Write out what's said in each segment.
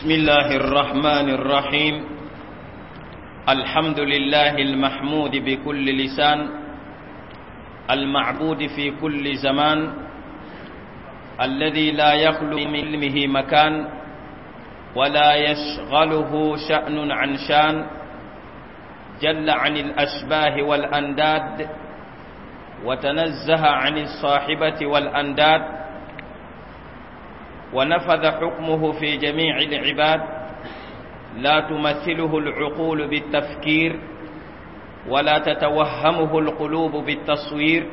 بسم الله الرحمن الرحيم. الحمد لله المحمود بكل لسان، المعبود في كل زمان، الذي لا يخلو من علمه مكان ولا يشغله شأن عن شان، جل عن الأشباه والأنداد، وتنزه عن الصاحبة والأنداد، ونفذ حكمه في جميع العباد، لا تمثله العقول بالتفكير ولا تتوهمه القلوب بالتصوير،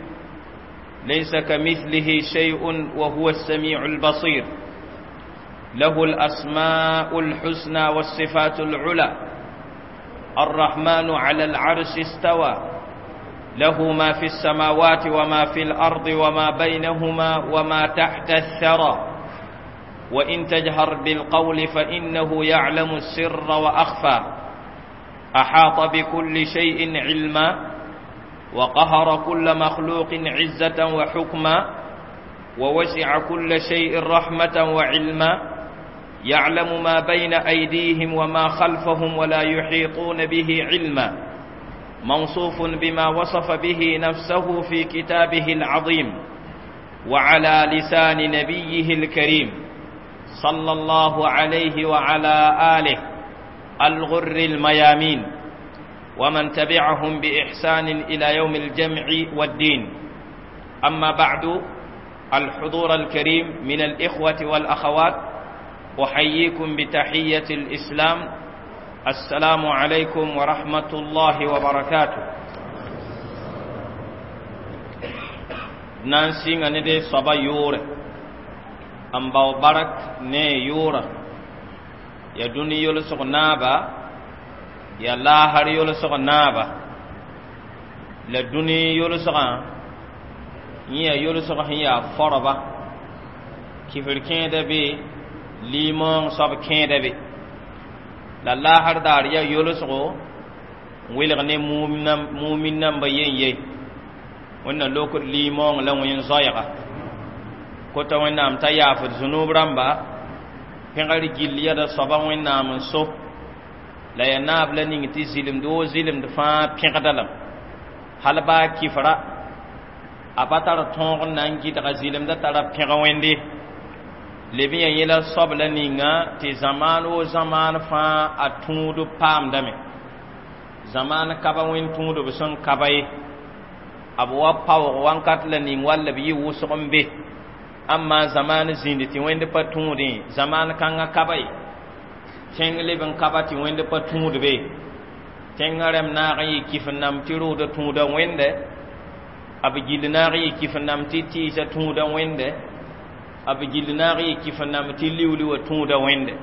ليس كمثله شيء وهو السميع البصير. له الأسماء الحسنى والصفات العلى، الرحمن على العرش استوى، له ما في السماوات وما في الأرض وما بينهما وما تحت الثرى، وإن تجهر بالقول فإنه يعلم السر وأخفى، أحاط بكل شيء علما، وقهر كل مخلوق عزة وحكما، ووسع كل شيء رحمة وعلما، يعلم ما بين أيديهم وما خلفهم ولا يحيطون به علما، موصوف بما وصف به نفسه في كتابه العظيم وعلى لسان نبيه الكريم صلى الله عليه وعلى آله الغر الميامين ومن تبعهم بإحسان إلى يوم الجمع والدين. أما بعد، الحضور الكريم من الإخوة والأخوات، أحييكم بتحية الإسلام: السلام عليكم ورحمة الله وبركاته. نانسي ندي صبا يوره n bao barak ne yʋʋra ya dũni yolsg naaba ya laasr yolsg naaba la dũni yolsgã yẽ yaa yolsg sẽn yaa forba kifr kẽeda be liimoong soab kẽeda be la laasr daar yaa yolsgo n welg ne mumin namba yen ye wẽnna lokd liimoong la wẽn zoɛɛga kota wẽnnaam t'a yaafd zũnub rãmba pẽgr gill yɛda soaba wẽnnaam n so la ya naab la ning tɩ zɩlemd woo zɩlemd fãa pẽgda lame hal baa kifra a pa tar tõog n na n gɩdga zɩlemdã tara pẽg wẽnde leb n yaa yẽla soab la ninga tɩ zamaan woo zamaan fãa a tũud paamdame zamaan kaba wẽnd tũudb sẽn kaba ye a b wa paoog wãnkat la ning wall b yɩ wʋsg n be amma zaman zĩnd tɩ wẽnd pa tũudẽ zamaan kãngã kaba ye tẽng leb n kaba tɩ wẽnd pa tũud be tẽngã rẽmb naag n yɩ kif n nam tɩ rʋʋda tũuda wẽnde a b gill naag n yɩ kif n nam tɩ tɩɩsa tũuda wẽnde a b gill naag n yɩ kif n nam tɩ liuli wa tũuda wẽnde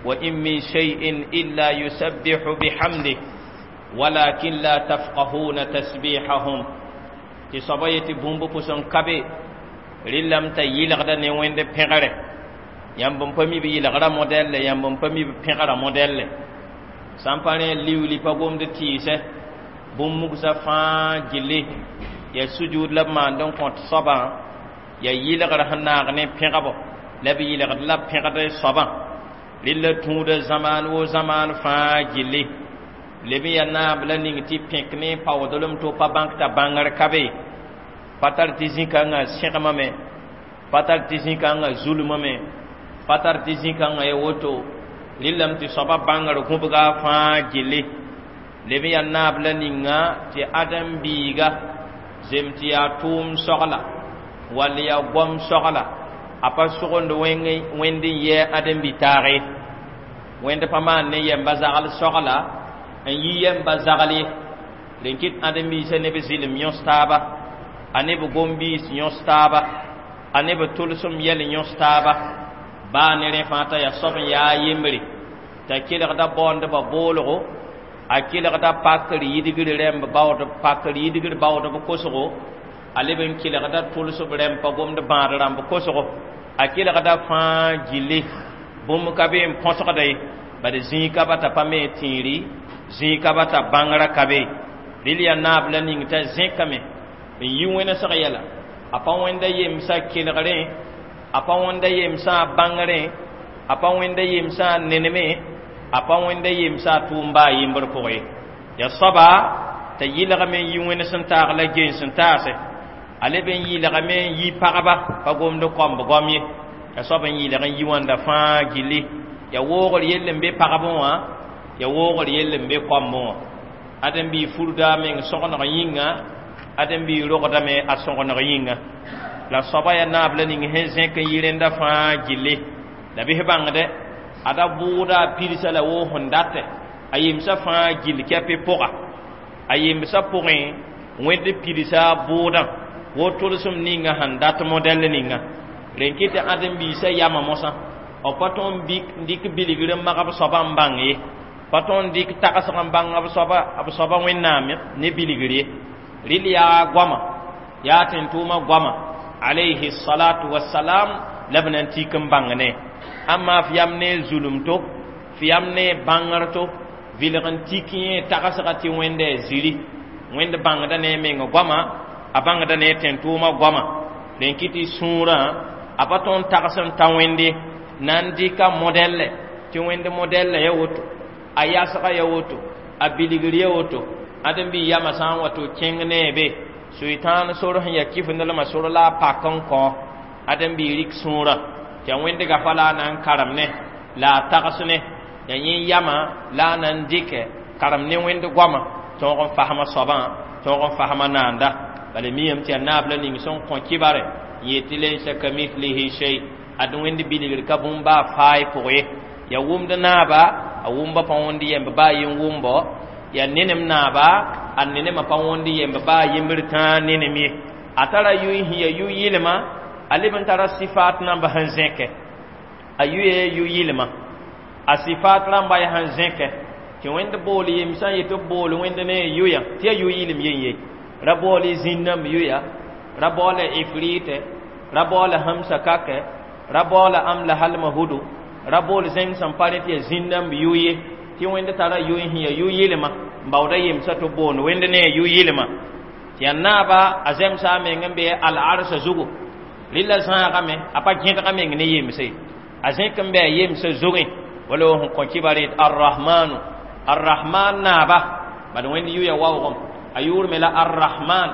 wa in min shay'in illa yusabbihu bihamdih walakin la tafqahuna tasbihahum tɩ soaba yetɩ bũmb pʋs n ka be rɩlame t'a yɩlgda ne wẽnd pẽgre yãmb n pa mi b yɩlgrã modɛlle yãmb n pa mi b pẽgrã modɛlle sã n pa rẽ liuli pa gomd tɩɩsɛ bũmb mugsa fãa gilli ya sujud la b maand n kõt soabã ya yɩlgr sẽn naag ne pẽgbo la b yɩlgd la pẽgd soabã rɩlla tũuda zamaan woo zamaan fãa gilli leb n ya naab la ning tɩ pẽk ne paoodlem to pa bãk t'a bãngr ka be pa tar tɩ zĩ-kãngã sẽgmame pa tar tɩ zĩ-kãngã zulmame pa tar tɩ zĩ-kãngã ya woto rɩllame tɩ soaba bãngr gũbga fãa gilli leb n yaa naab la ninga tɩ ãdem-biiga zem tɩ yaa tʋʋm sogla wall yaa goam sogla a pa sogend wẽnd n yɛɛ ãdem-bi-taag ye wẽnd pa maan ne yɛmba zagl sogla n yi yɛmba zagl ye rẽn kɩt ãdem-biisã ne b zɩlem yõs taaba a ne b gom-biis yõs taaba a ne b tʋlsem yɛl yõs taaba baa ne rẽ fãa t'a yaa soab n yaa yembre t'a kelgda baoondbã boolgo a kelgda pakr yidgr rẽmb baood pakr yidgr baoodb kosgo a leb n kelgda tʋlsb rẽmb pa gomd bãad rãmb kosgo a kelgda fãa gilli bũmb ka be n põsgda ye bad zĩig ka ba t'a pa me tẽeri zĩig ka ba t'a bãngrã ka be rɩl yaa naab la ning t'a zẽkame n yi wẽnesg yɛla a pa wẽnda yemsã kelgrẽ a pa wẽnda yemsã bãngrẽ A pa wẽnda yemsã a neneme, a pa wẽnda yemsã a tʋʋm baa yembr pʋgẽ ye. Ya soaba t'a yɩlgame n yi wẽnd sẽn taag la gens n taase. A leb n yɩlgame n yi pagba, pa gomd kõmb goam ye. Ya soab n yɩlg n yi wãnda fãa gilli. Ya woogr yell n be pagb wã, ya woogr yell n be kõmb wã. Ãdem-biig furda a meng sõgeneg yĩnga, ãdem-biig rogdame a sõgeneg yĩnga. La soaba yaa naab la ning sẽn zẽk n yi rẽnda fãa gilli. La bɩs bãngdɛ, ada bʋʋda a pidsa la woo sẽn datɛ, a yemsã fãa gill kɛpɩ pʋga. A yemsã pʋgẽ wẽnd pidsa a bʋʋdã wo tʋlsem ninga sẽn dat modɛl ninga. Rẽn kɩ tɩ ãdem-biisã yama mosã, b pa tõe n dɩk bilgr n mag b soabã n bãng ye, pa tõe n dɩk tagsg n bãng b soaba wẽnnaam ne bilgr ye. Rɩl yaa goama, yaa tẽn-tʋʋmã goama alayhi salatu wassalam la b na n tik n bãng ne. Amma f yam ne zulum-to, f yam ne bãngr-to, vɩlg n tik yẽ tagsga tɩ wẽnda ziri. Wẽnd bãngda ne meng goama, a bãngda ne tẽn-tʋʋmã goama. Rẽn kɩ tɩ sũurã a pa tõe n tags n ta wẽnde na n dɩka modɛllɛ tɩ wẽnd modɛllɛ ya woto, a yasga ya woto, a bilgr ya woto. Ãdem-biig yamã sã n wa tɩ kẽng ne be sʋɩtãan sor sẽn ya kɩf-nelmã sor la a pak n kõ ãdem-biig rɩk sũurã tɩ ya wẽnd gafa la a na n karem ne, la a tags ne. Ya yẽ yamã la a na n dɩkɛ karem ne wẽnd goamã tõog n fasma soabã, tõog n fasma naanda. Bala miyame tɩ yaa naab la ning sẽn kõ kibare n yetɩ laysa kamithlihi shay, ad wẽnd bilgr ka bũmb baa faay pʋgẽ ye. Ya wʋmd naaba, a wʋmba pa wõnd yemb baa yen wʋmbo. Ya nenem naaba, a nenemã pa wõnd yemb baa yembr tãa nenem ye. A tara yʋy sẽn ya yʋ-yɩlma, a leb n tara sɩfaat namba sẽn zẽkɛ. A yʋya yʋ-yɩlma, a sɩfaat rãmba yaa sẽn zẽkɛ tɩ wẽnd bool yemsã n yetɩ b bool wẽnd ne a yʋyã tɩ yaa yʋ-yɩlem yen ye. Ra baool zĩnnãmb yʋya, ra baoola ifrɩtɛ, ra baoola hãmsa kakɛ, ra baoola am la halma hudu, ra bool zẽng sẽn pa rẽ tɩ yaa zĩnnãmb yʋ ye. Tɩ wẽnd tara yʋy sẽn yaa yʋ-yɩlma n baooda yemsã tɩ b boond wẽnd ne a yʋ-yɩlma. Tɩ yaa naaba a zemsa a meng n be al-arsa zugu. Rɩla zãagame, a pa gẽdg a meng ne yemse, a zẽk n be a yemsã zugẽ. Wala sẽn kõ kibar yet arrahmanu, arrahman naaba, bad wẽnd yʋya waoogem a yʋʋr me la arrahman.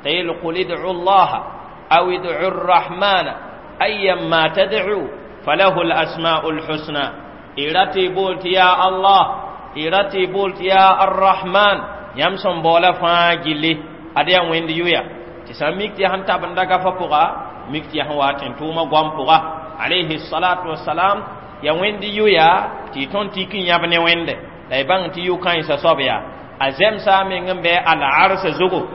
T'a yel qul id'u llaha aw id'u rrahmana ayyamma tad'u falahu al-asma'u al-husna. Y rat y bool tɩ yaa Allah, y rat y bool tɩ yaa arrahman, yãmb sẽn baoola fãa gilli ad yaa wẽnd yʋya. Tɩ sã n mik tɩ yaa sẽn tabenda gafa pʋga, mik tɩ yaa sẽn wa tẽn-tʋʋmã goam pʋga alayhi salatu wassalam. Ya wẽnd yʋya tɩ y tõnd tik n yãb ne wẽnde la y bãng tɩ yʋ-kãensã soab yaa. A zemsa a meng n bɩ al-arsa zugu,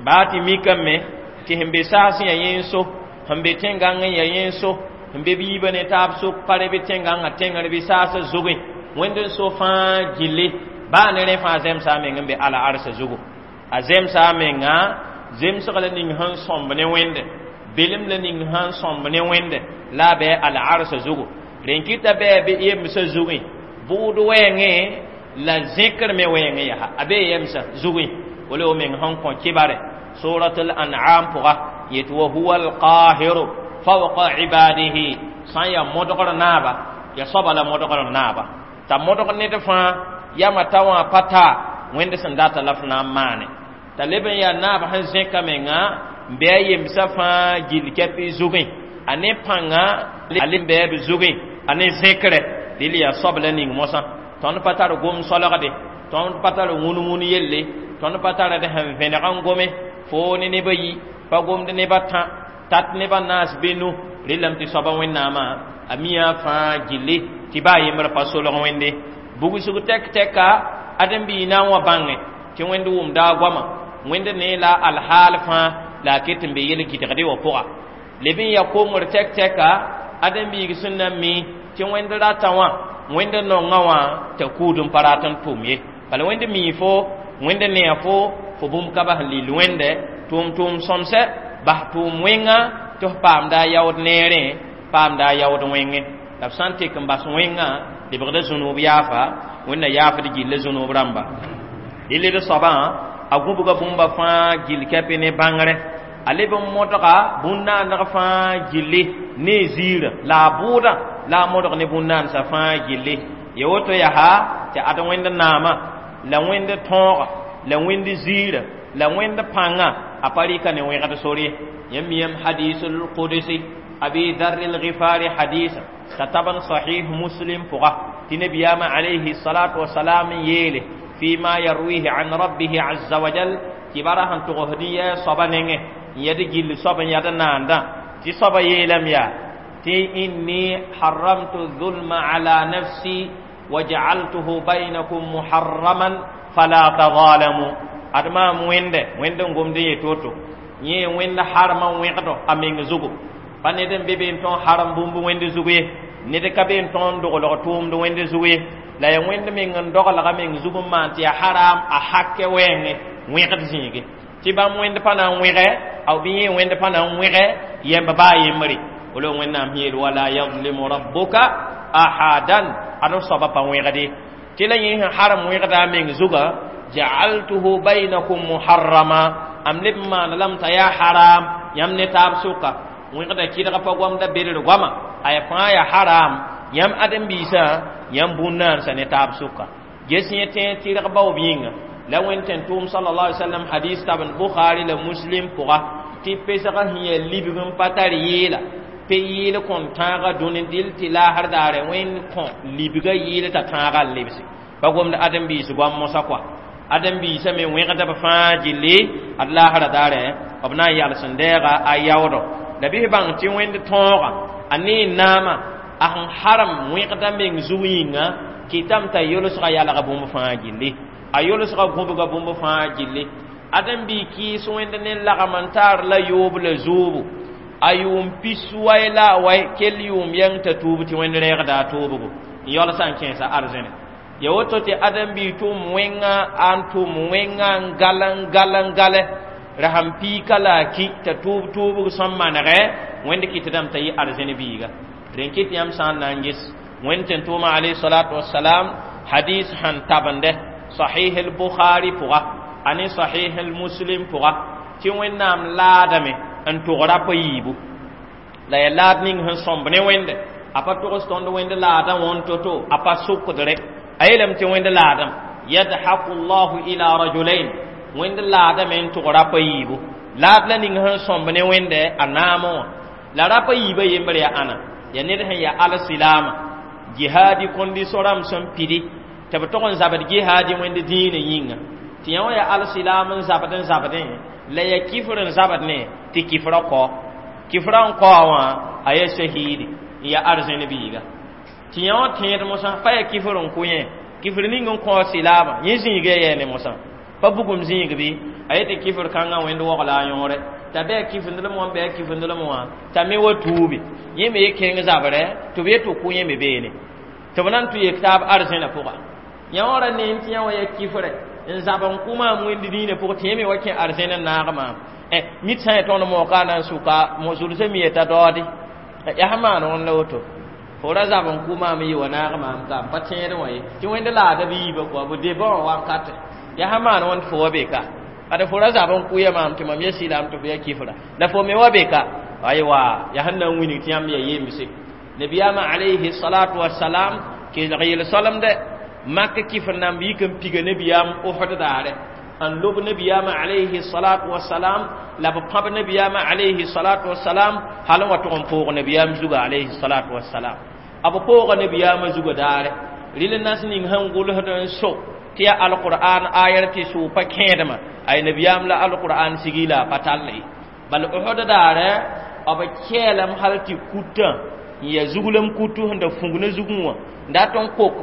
baa tɩ mikame tɩ sẽn be saas yã yẽ so, sẽn be tẽn-gãng n ya yẽ so, sẽn be biibã ne taab sok pa rẽ bɩ tẽn-gãngã tẽngr bɩ saasã zugẽ. Wẽnd n so fãa gilli baa ne rẽ fãa zemsa a meng n be al-arsa zugu. A zemsa a menga zemsg la ning sẽn sõmb ne wẽnde, belem la ning sẽn sõmb ne wẽnde la a bɩ al-arsa zugu. Rẽn kɩta bɩ bɩ yemsã zugẽ bʋʋd wɛɛngẽ la zẽkr me wɛɛngẽ yaa a bee yemsã zugẽ. Wala o meng sẽn kõ kibare suratul an'am pʋga yet wa huwa alqahiru fawqa ibadihi. Sã n yaa modgr naaba, ya soaba la modgr naaba t'a modg ned fãa yama ta wã pa ta wẽnd sẽn data la f na n maane. T'a leb n yaa naab sẽn zẽka menga n bɩ a yemsã fãa gill kɛpɩ zugẽ, a ne pãnga a leb n bɩ b zugẽ, a ne zẽkrɛ. Dɩl yaa soab la ning mosã tõnd pa tar gom solgde, tõnd pa tar wũn-wũn yelle, tõnd pa tar d sẽn vẽneg n gome foo ne nebã yi, pa gomd nebã tã tat nebã naas benu. Rɩlame tɩ soaba wẽnnaamã a miã fãa gilli tɩ baa yembr pa solg wẽnde bugsg tɛk-tɛka. Ãdem-biig na n wa bãnge tɩ wẽnd wʋmda a goamã, wẽnd ne la alhaal fãa la a ket n be yel-gɩdgde wã pʋga. Leb n ya kongr tɛk-tɛka ãdem-biig sẽn na n mi tɩ wẽnd rata wã, wẽnd nonga wã t'a kuud n pa rat n tʋm ye. Bala wẽnd mii fo, wẽnd neã fo, fo bũmb ka bas n lill wẽnde tʋʋm-tʋʋm sõmsɛ bas tʋʋm wẽnga tɩ f paamda a yaood neerẽ, paamda a yaood wẽngẽ. La b sã n tek n bas wẽngã lebgda zũnuub yaafa, wẽnna yaafd gilla zũnuub rãmba. Dɩl d soabã a gũbga bũmba fãa gill kɛpɩ ne bãngrẽ, a leb n modga bũn-naaneg fãa gilli ne ziirã la a bʋʋdã La a modg ne bũn-naandsã fãa gilli ya woto yaa tɩ ad Wẽnd naama la Wẽnd tõoga la Wẽnd ziirã la Wẽnd pãnga a pa rɩka ne wẽgd sor ye. Yãmb miyame hadisul qudsi Abi Dharr al-Ghifari hadisa t'a tab n Sahih Muslim pʋga tɩ nabiyaamã alayhi salatu wasalam n yeele fima yarwihi an rabbihi azza wa jal kibara sẽn togsd n yɛɛ soaba nengẽ n yɛd gill soab n yad naandã tɩ soaba yeelame yaa tɩ inni haramtu zulma ala nafsi wajaaltuhu bainakum muharraman fala tazalamu. Ad maam wẽnde wẽnd n gomd n yet woto yẽ wẽnd harma wẽgdo a meng zugu pa ned n be be n tõn harem bũmb wẽnd zugu ye ned ka be n tõn doglg tʋʋmd wẽnd zugu ye la ya wẽnd meng n doglga meng zug n maan tɩ ya haram a hakɛ wɛɛngẽ wẽgd zĩige tɩ bãmb wẽnd pa na n wẽgɛ bɩ yẽ wẽnd pa na n wẽgɛ yɛmb baa yembre wala Wẽnnaam yeel wala yadlimu rabbuka ahadan ad soaba pa wẽgde tɩ la yẽ sẽn harem wẽgda a meng zugã jaaltuhu bainakum muharrama am leb n maan lame t'a yaa haram yãmb ne taab sʋka wẽgda kɩdg pa goamda bedr goama a ya fãa ya haram yãmb ãdem-biisã yãmb bũn-naansã ne taab sʋka ges yẽ tẽeg tɩrg baoob yĩnga la Wẽnd tẽn tʋʋm sallallahu alaihi wasallam hadis tabend Bukhari la Muslim pʋga tɩ pesgã sẽn yaa libg n pa tar yɩɩla pe yɩɩl kõn tãagã dũni dɩl tɩ laasr daare Wẽnd kõ libgã yɩɩl t'a tãagã n lebse pa gomd ãdem-biis goam mosã kɔa ãdem-biisã me wẽgda b fãa gilli ad laasra daare b na n yals n deega a yaoodo la bɩ bãng tɩ Wẽnd tõoga a ne naama a sẽn harem wẽgda meng zug yĩnga kɩtame t'a yolsga yalga bũmb fãa gilli a yolsga gũbga bũmb fãa gilli ãdem-bii kɩɩs Wẽnd ne lagm n taar la yoob la zoobo a yʋʋm pis wai la a wai kell yʋʋm yɛng t'a tuub tɩ Wẽnd rɛɛgda a toobgo n yaolsã n kẽesa arzẽne ya woto tɩ ãdem-bii tʋʋm wẽnga n tʋʋm wẽnga n gal n gal n gale ra sãn piika la a ki t'a tuub tuubg sẽn manegɛ Wẽnd kɩtdame t'a yɩ arzẽn biiga rẽn kɩt yãmb sã n na n ges Wẽnd tẽn tʋʋma alayhi salatu wasalam hadis sẽn tabende Sahih al-Bukhari pʋga a ne Sahih al-Muslim pʋga tɩ Wẽnnaam laadame n tʋg rap a yiibu la ya laad ning sẽn sõmb ne Wẽnde a pa togs tõnd Wẽnd laadã wõn to-to a pa sʋkdre a yeelame tɩ Wẽnd laadame yadhaku llahu ila rajulain Wẽnd laadame n tʋg rap a yiibu laad la ning sẽn sõmb ne Wẽnde a naamẽ wã la rap a yiibã yembr yaa ãna ya ned sẽn yaa al-silaama jihaadi kondisõ rãmb sẽn pidi tɩ b tog n zabd jihaadi Wẽnd dĩinã yĩnga tɩ yã wã yaa al-silaam n zabd n zabdẽ la ya kifr n zabd ne tɩ kifrã kao kifrã n kao wã a yaa shahiidi n yaa arzẽn biiga tɩ yã wã tẽed mosã pa yaa kifr n kʋ yẽ kifr ning n kõ silaamã yẽ zĩiga yɛɛ ne mosã pa bugum zĩig bɩ a yetɩ kifr kãngã Wẽnd waogla a yõore t'a bɩ a kifndlem wã bɩ a kifndlem wã t'a me wa tuubi yẽ me ye kẽng zabrɛ tɩ b yet tɩ kʋ yẽ me beene tɩ b na n tʋ yek taab arzẽnã pʋga yã wã ra neem tɩ yã wã yaa kifrɛ n zab n kʋ maam Wẽnd dĩinã pʋgẽ tɩ yẽ me wa kẽ arzẽn n naag maam mit sã n ya tõnd mooka na n sʋka mo zulsã mi yeta daoode yaa sẽn maan wãn la woto fo ra zab n kʋ maam n yɩ wa naag maam ka n pa tẽedẽ wã ye tɩ Wẽnd laada b yiibã kɔa b debã wã wakatɛ yaa sẽn maan wãn tɩ fo wa be ka ad fo ra zab n kʋ ya maam tɩ mam ya silaam tɩ fo ya kifra la fo me wa be ka aywa yaa sẽn na n wilg tɩ yãmb ya yemse nabiyaamã alayhi salatu wasalam kelg yel-soalemdɛ mak kifr namb yik n piga nabiyaam Osd daare n lob nabiyaamã alayhi salatu wasalam la b pãb nabiyaamã alayhi salatu wasalam hal n wa tʋg n poog nabiyaam zuga alayhi salatu wasalam a b pooga nabiyaamã zuga daare rɩl nas ning sẽn gʋlsd n so tɩ yaa alqur'an ayar tɩ sʋʋ pa kẽedmã ay nabiyaam la alqur'an sigi la a pa tall ye bal Osd daare b kɛɛlame hal tɩ kutã n yaa zuglem kutu sẽn da fũg ne zugẽ wã n dat n kok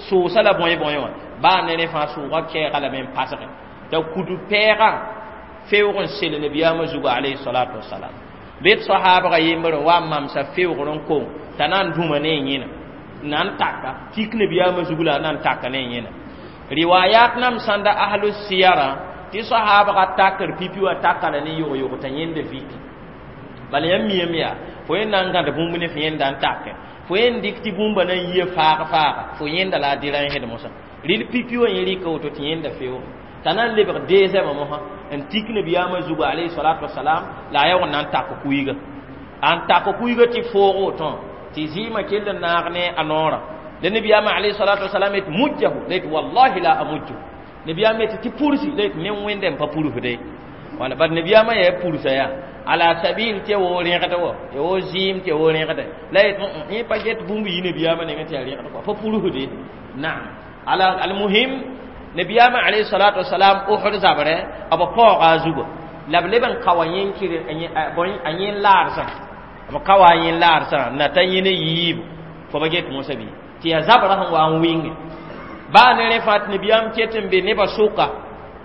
sʋʋsa la bõe-bõe wã baa ne rẽ fãa sʋʋga kɛɛga lame n pasge t'a kutu pɛɛgã feoog n sel nabiyaamã zuga alayhi salatu wasalam bɩ d sahaabga yembr n wa n mamsa feoogr n kong t'a na n dũma ne yẽna na n taka tik nabiyaamã zug la a na n taka ne yẽna riwayat nam sãnda ahlu siyara tɩ sahaabga takr pipi wã taka la ne yog-yog t'a yẽnda viki bala yãmb miyame yaa fo yẽ na n gãd bũmb ne fo yẽnda n take fo yẽn dɩk tɩ bũmba na n yia faag faaga fo yẽnda la a dɩrãnsd mosã rɩl pipi wã yẽ rɩka woto tɩ yẽnda feoog t'a na n lebg dezɛmã mosã n tik nabiyaamã zuga alayhi salatu wasalam la a yaoog n na n tak kuiga n tak kuiga tɩ foog wotõ Tɩ zɩɩmã kell n naag ne a noorã. La nabiyaamã alayhi salatu wasalam yet mujjahu la yet wallahi la amujju. Nabiyaam yet tɩ pursi la yet ne wẽnde n pa purusde. Wala bad nabiyaamã yaa pursa yaa ala sabil tɩ wo rẽgd wo ya wo zɩɩm tɩ wo rẽgde la yet yẽ pa get bũmb yɩ nabiyaamã nengẽ tɩ yaa rẽgd kɔa pa purusde. Naam ala almuhim nabiyaamã alayhi salatu wasalam Uhud zabrɛ b paooga a zugã la b leb n ka wa yẽ a yẽ laarsã b ka wa a yẽ laarsã na ta yẽ ne yiibu fo ba get mosã bɩ tɩ yaa zabrã sẽn wa n wɩnge baa ne rẽ fãa tɩ nabiyaam ket n be nebã sʋka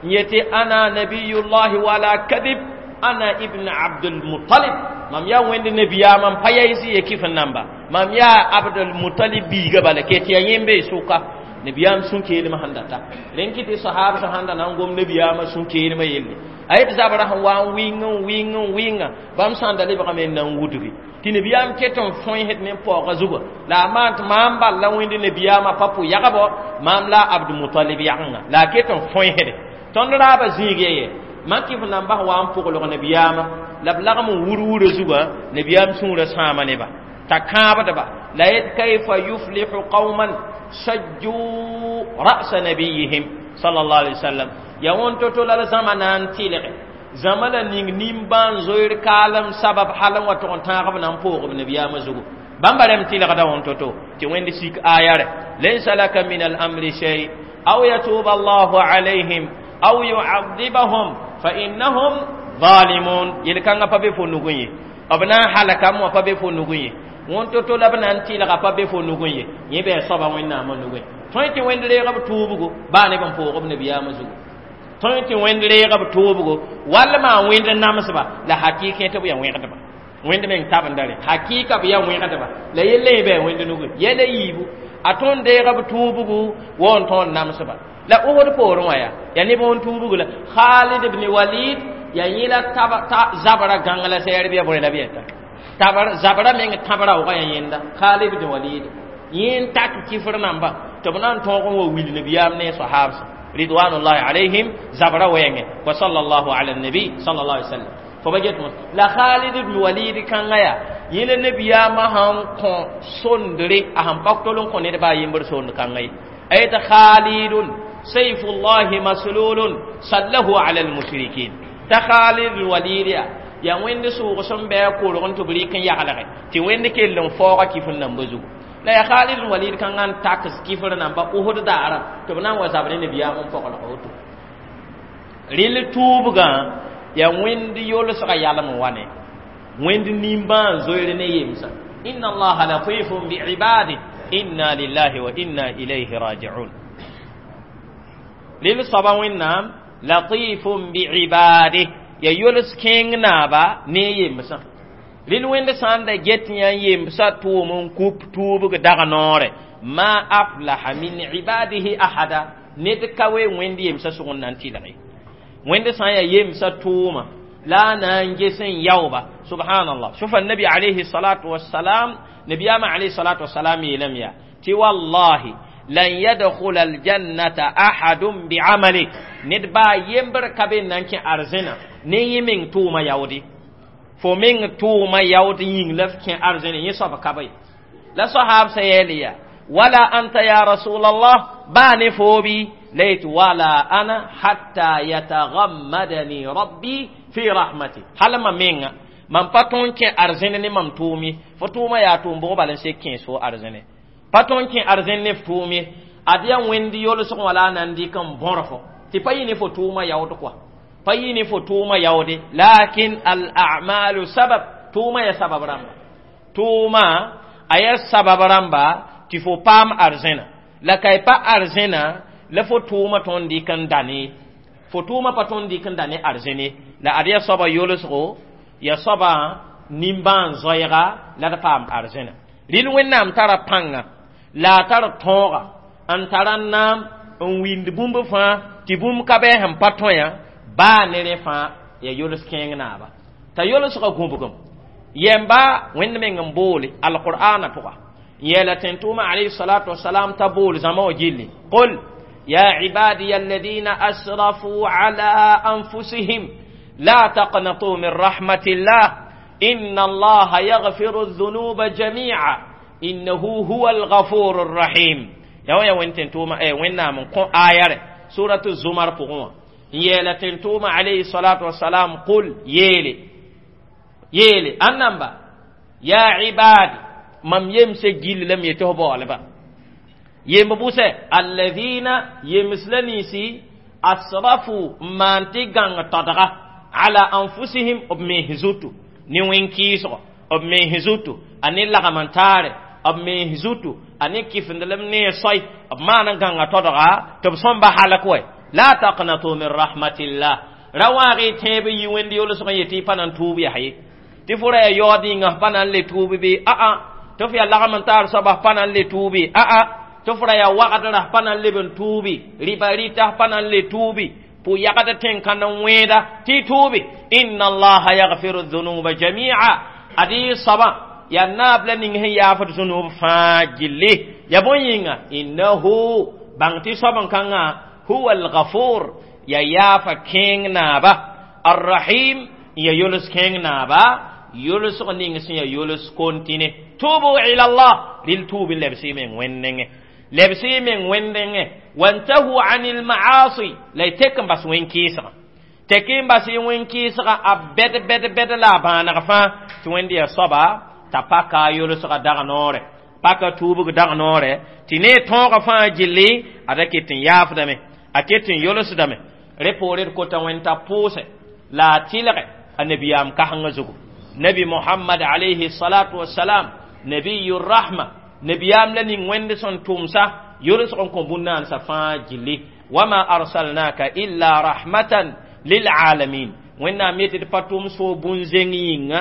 n yetɩ ana nabiyullahi wala kadib ana ibn Abdulmutalib mam yaa wẽnd nabiyaamã n pa yaɩs ye kɩf n namba mam yaa Abdulmutalib biiga bala ke tɩ yaa yẽ n bee sʋka nabiyaam sũ-keelmã sẽn data rẽn kɩ tɩ sahab sẽn da na n gom nabiyaamã sũ-keelmã yelle a yet zabrã sẽn wa n wɩng n wɩng n wɩnga bãmb sãn da lebgame n na n wudgi tɩ nabiyaam ket n fõesd ne paooga zugã la a maan tɩ maam bal la wẽnd nabiyaamã pa pʋ yagbo maam la Abdulmutalib yagenga la a ket n fõesde tõnd raaba zĩig ya ye mak kɩf namba sẽn wa n pʋglg nabiyaamã la b lagm n wur-wurã zugã nabiyaam sũurã sãama neba t'a kãabdba la yet kayfa yuflihu qauman sajju ra'sa nabiyihim sallallahu alaihi wasallam ya wõn to-to la zãma na n tɩlge zãma la ning nimbãan zoeer kaalem sabab hal n wa tʋg n tãag b na n poog b nabiyaamã zugu bãmba rẽm tɩlgda wõn to-to tɩ wẽnd sik aya rɛ laysa laka min al-amri shay aw yatuba allahu alayhim aw yu'adhibahum fa innahum zalimun yel-kãngã pa be fo nugẽ ye b na n halkame wã pa be fo nugẽ ye wõn to-to la b na n tɩlga pa be fo nugẽ ye yẽ bɩ a soaba wẽnnaamã nugẽ tõe tɩ wẽnd reeg b tuubgo baa neb n poog b nabiyaamã zugu tõe tɩ wẽnd reeg b tuubgo wall maa wẽnd namsba la hakɩɩk tɩ b yaa wẽgdba wẽnd meng tabenda rẽ hakɩɩka b yaa wẽgdba la yelle yẽ bɩ a wẽnd nugẽ yɛla yiibu a tõnd deeg b tuubgu wa n tõnd namsba la Uhud poorẽ wã yaa neb wẽn tuubg la Khalid ibn Walid yaa yẽ la zabra gãng la sɛɛr bɩ ya bõe la bɩ yɛta zabra meng tãbra wʋga yaa yẽnda Khalid ibn Walid yẽ n tak kifr namba tɩ b na n tõog n wa wil nabiyaam ne sahabsã ridwanullahi alayhim zabra wɛɛngẽ wa sallallahu ala nabi sallallahu alaihi wasallam fo ba get la Khalid ibn Walid kãngã yaa yẽ la nabiyaamã sãn kõ sondre a sẽn pak tol n kõ ned baa yembr sond kãngã ye a yetɩ Khalidun sayfullahi maslulun sallahu ala almushrikin t'a Khalid ibn Walid yaa wẽnd sʋʋg sẽn bɩ a korg n tɩ b rɩk n yaglge tɩ wẽnd kell n faooga kifr nambã zugu la yaa Khalid ibn Walid kãngã n taks kifr namba Uhud daara tɩ b na n wa zabr ne nabiyaam n pɔglg woto rɩl tuubgã yaa wẽnd yolsga yalem n wa ne wẽnd nimbãan zoeer ne yemsã inna allaha latifun biibadih inna lillahi wa inna ilayhi rajiun rɩl soaba wẽnnaam latifun biibadih ya yols kẽeng naaba ne yemsã rɩl wẽnd sã n da get yã n yemsã tʋʋm n kup tuubg dag noore ma aflaha min ibadihi ahada ned ka we wẽnd yemsã sʋg n na n tɩlge wẽnd sã n yaa yemsã tʋʋma la a na n ges n yaooba subhanallah sufa nabi alayhi salatu wassalam nabiyaamã alayhi salatu wassalam yeelame yaa tɩ wallahi lan yadkhula aljannata ahadun bi'amali ned baa yembr ka be n na n kẽ arzẽna ne yẽ meng tʋʋma yaoode fo meng tʋʋma yaood yĩng la f kẽ arzẽne yẽ soab ka be la sahab sã yeel yaa wala anta ya rasulallah baa ne foobi la yet wala ana hatta yatagammadani rabbi fi rahmati hal ma menga mam pa tõn kẽ arzẽne ne mam tʋʋm ye fo tʋʋma yaa tʋʋm bʋg bal n sek kẽes fo arzẽne pa tõn kẽ arzẽn ne f tʋʋm ye ad yaa wẽnd yolsg wã la a na n dɩk n bõr fo tɩ pa yɩ ne fo tʋʋma yaood kɔa pa yɩ ne fo tʋʋma yaoode lakin al a'malu sabab tʋʋma yaa sabab rãmba tʋʋma a yaa sabab rãmba tɩ fo paam arzẽna la ka y pa arzẽna la fo tʋʋma tõnd dɩk n dane fo tʋʋma pa tõnd dɩk n da ne arzẽne la ad yaa soaba yolsgo yaa soaba nimbãan zoɛɛga la d paam arzẽna rɩl wẽnnaam tara pãnga la a tar tõoga n tara naam n wind bũmb fãa tɩ bũmb ka bɩ sẽn pa tõe yã baa ne rẽ fãa yaa yols kẽeng naaba t'a yolsgã gũbgem yɛmba wẽnd meng n boole alqur'ana pʋga yeela tẽn-tʋʋmã alayhi salatu wasalam t'a bool zãma wã gilli qul ya ibadiya alladina asrafu ala anfusihim la taqnatu min rahmatillah inna allaha yaghfiru الذنوب جميعا. Innahu huwa al-ghafur ar-rahim. Ya wẽn tʋʋma Wẽnnaam n kõ aya suratu Zumar pʋgẽ wã n yeela tẽn-tʋʋma alayhi salatu wassalam qul yeele yeele ãnnamba ya ibadi mam yemse gill lam yetɩ f baoolba yemb bʋsɛ alladhina yems la ninsi asrafu n maan tɩ gãng todga ala anfusihim b mens zutu ne wẽn-kɩɩsgo b mens zutu a ne lagm n taare b mens zutu a ne kifendlem ne soy b maan n gãnga todga tɩ b sõmba halk wɛ la taqnatu min rahmatillah ra waag y tẽeb yi wẽnd yolsg n yetɩ y pa na n tuub yaa ye tɩ fo ra yaa yaood yĩnga f pa na n le tuub bɩ aa tɩ f yaa lagm n taar soaba f pa na n le tuubi aa tɩ f ra yaa wagdra f pa na n leb n tuubi rɩba rɩta f pa na n le tuubi pʋ-yagd tẽn-kãnd n wẽeda tɩ y tuubi inna allaha yaghfiru dhunuba jamia ad y soabã yaa naab la ning sẽn yaafd zũnub fãa gilli ya bõe yĩnga innahu bãng tɩ soab n kãngã huwa alghafur ya yaafa kẽeng naaba arrahim ya yols kẽeng naaba yolsg ning sẽn ya yols kontine tubu ila allah rɩl tuub n lebs y meng wẽnd nengẽ lebs y meng wẽnd nengẽ wantahu anil maasi la y tek n bas wẽn-kɩɩsgã tek n bas y wẽn-kɩɩsgã a bɛd bɛd bɛd la a bãaneg fãa tɩ wẽnd yaa soaba t'a paka a yolsgã dag noorɛ paka tuubg dag noorɛ tɩ ne tõogã fãa gilli ada ket n yaafdame a ket n yolsdame rẽ poore d kota wẽnd t'a pʋʋsɛ la a tɩlgɛ a nabiyaam kasengã zugu nabi Muhammad alayhi salatu wassalam nabiyu rahma nabiyaam la ning wẽnd sẽn tʋmsa yolsg n kõ bũn-naansã fãa gilli wama arsalnaka illa rahmatan lilalamin Wẽnnaam yetɩ d pa tʋm soo bũn-zẽng yĩnga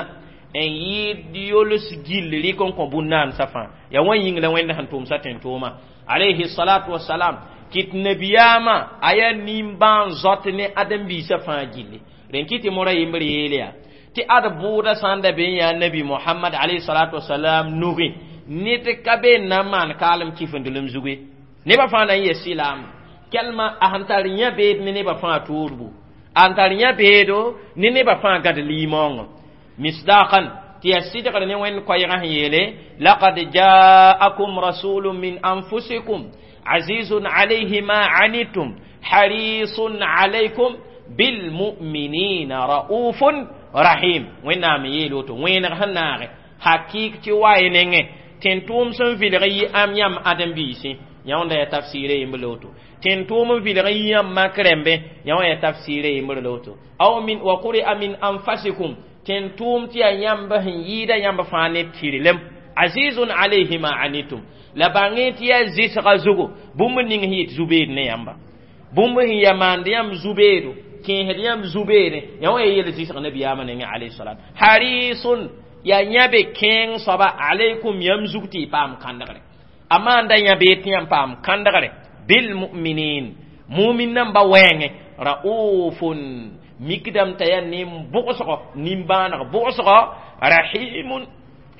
n yɩɩd yols gill rɩk n kõ bũn-naansã fãa yaa wã yĩng la Wẽnd sẽn tʋmsa tẽn-tʋʋma alayhi salatu wassalam kɩt nabiyaamã a yaa nimbãan zot ne ãdem-biisã fãa gilli rẽn kɩ tɩ mora yembr yeel yaa tɩ ad bʋʋda sã n da be n yaa nabi Muhammad alayhi salatu wassalam nugẽ ned ka be n na n maan kaalem kifendelem zugu ye nebã fãa na n yes silaam kɛlma a sẽn tar yã beed ne nebã fãa toorbu a sẽn tar yã beedo ne nebã fãa gãd limaoongã misdaqan tɩ yaa sɩdgr ne Wẽnd koɛɛgã sẽn yeele laqad jaakum rasulun min anfusikum azizun alayhi ma anitum harisun alaykum bilmuminina raufun rahim Wẽnnaam n yeel woto wẽeneg sẽn naage hakɩɩk tɩ wa y nengẽ tẽn-tʋʋm sẽn vilg yi am yãmb ãdem-biisẽ yã wẽnda yaa tafsiirã yembr la woto tẽn-tʋʋm n vilg yi yãmb mak rẽmbe yã wã yaa tafsiirã yembr la woto aw min wa quri'a min anfasikum tẽn-tʋʋm tɩ yaa yãmb sẽn yɩɩda yãmb fãa ne tɩrlem azizun alayhi ma anitum la bãngẽ tɩ yaa zɩsga zugu bũmb ning sẽn yet zu-beed ne yãmba bũmb sẽn yaa maand yãmb zu-beedo kẽesd yãmb zu-beene yã wã yaa yel zɩsg nabiyaamã nengẽ alayhi salat harisun yaa yãbe kẽeng soaba alaykum yãmb zug tɩ y paam kãndgre a maanda yã beed tɩ yãmb paam kãndgre bilmuminin mumin namba wɛɛngẽ raufun mikdame t'a yaa nin-bʋgsgɔ nimbãaneg bʋgsgɔ rahimun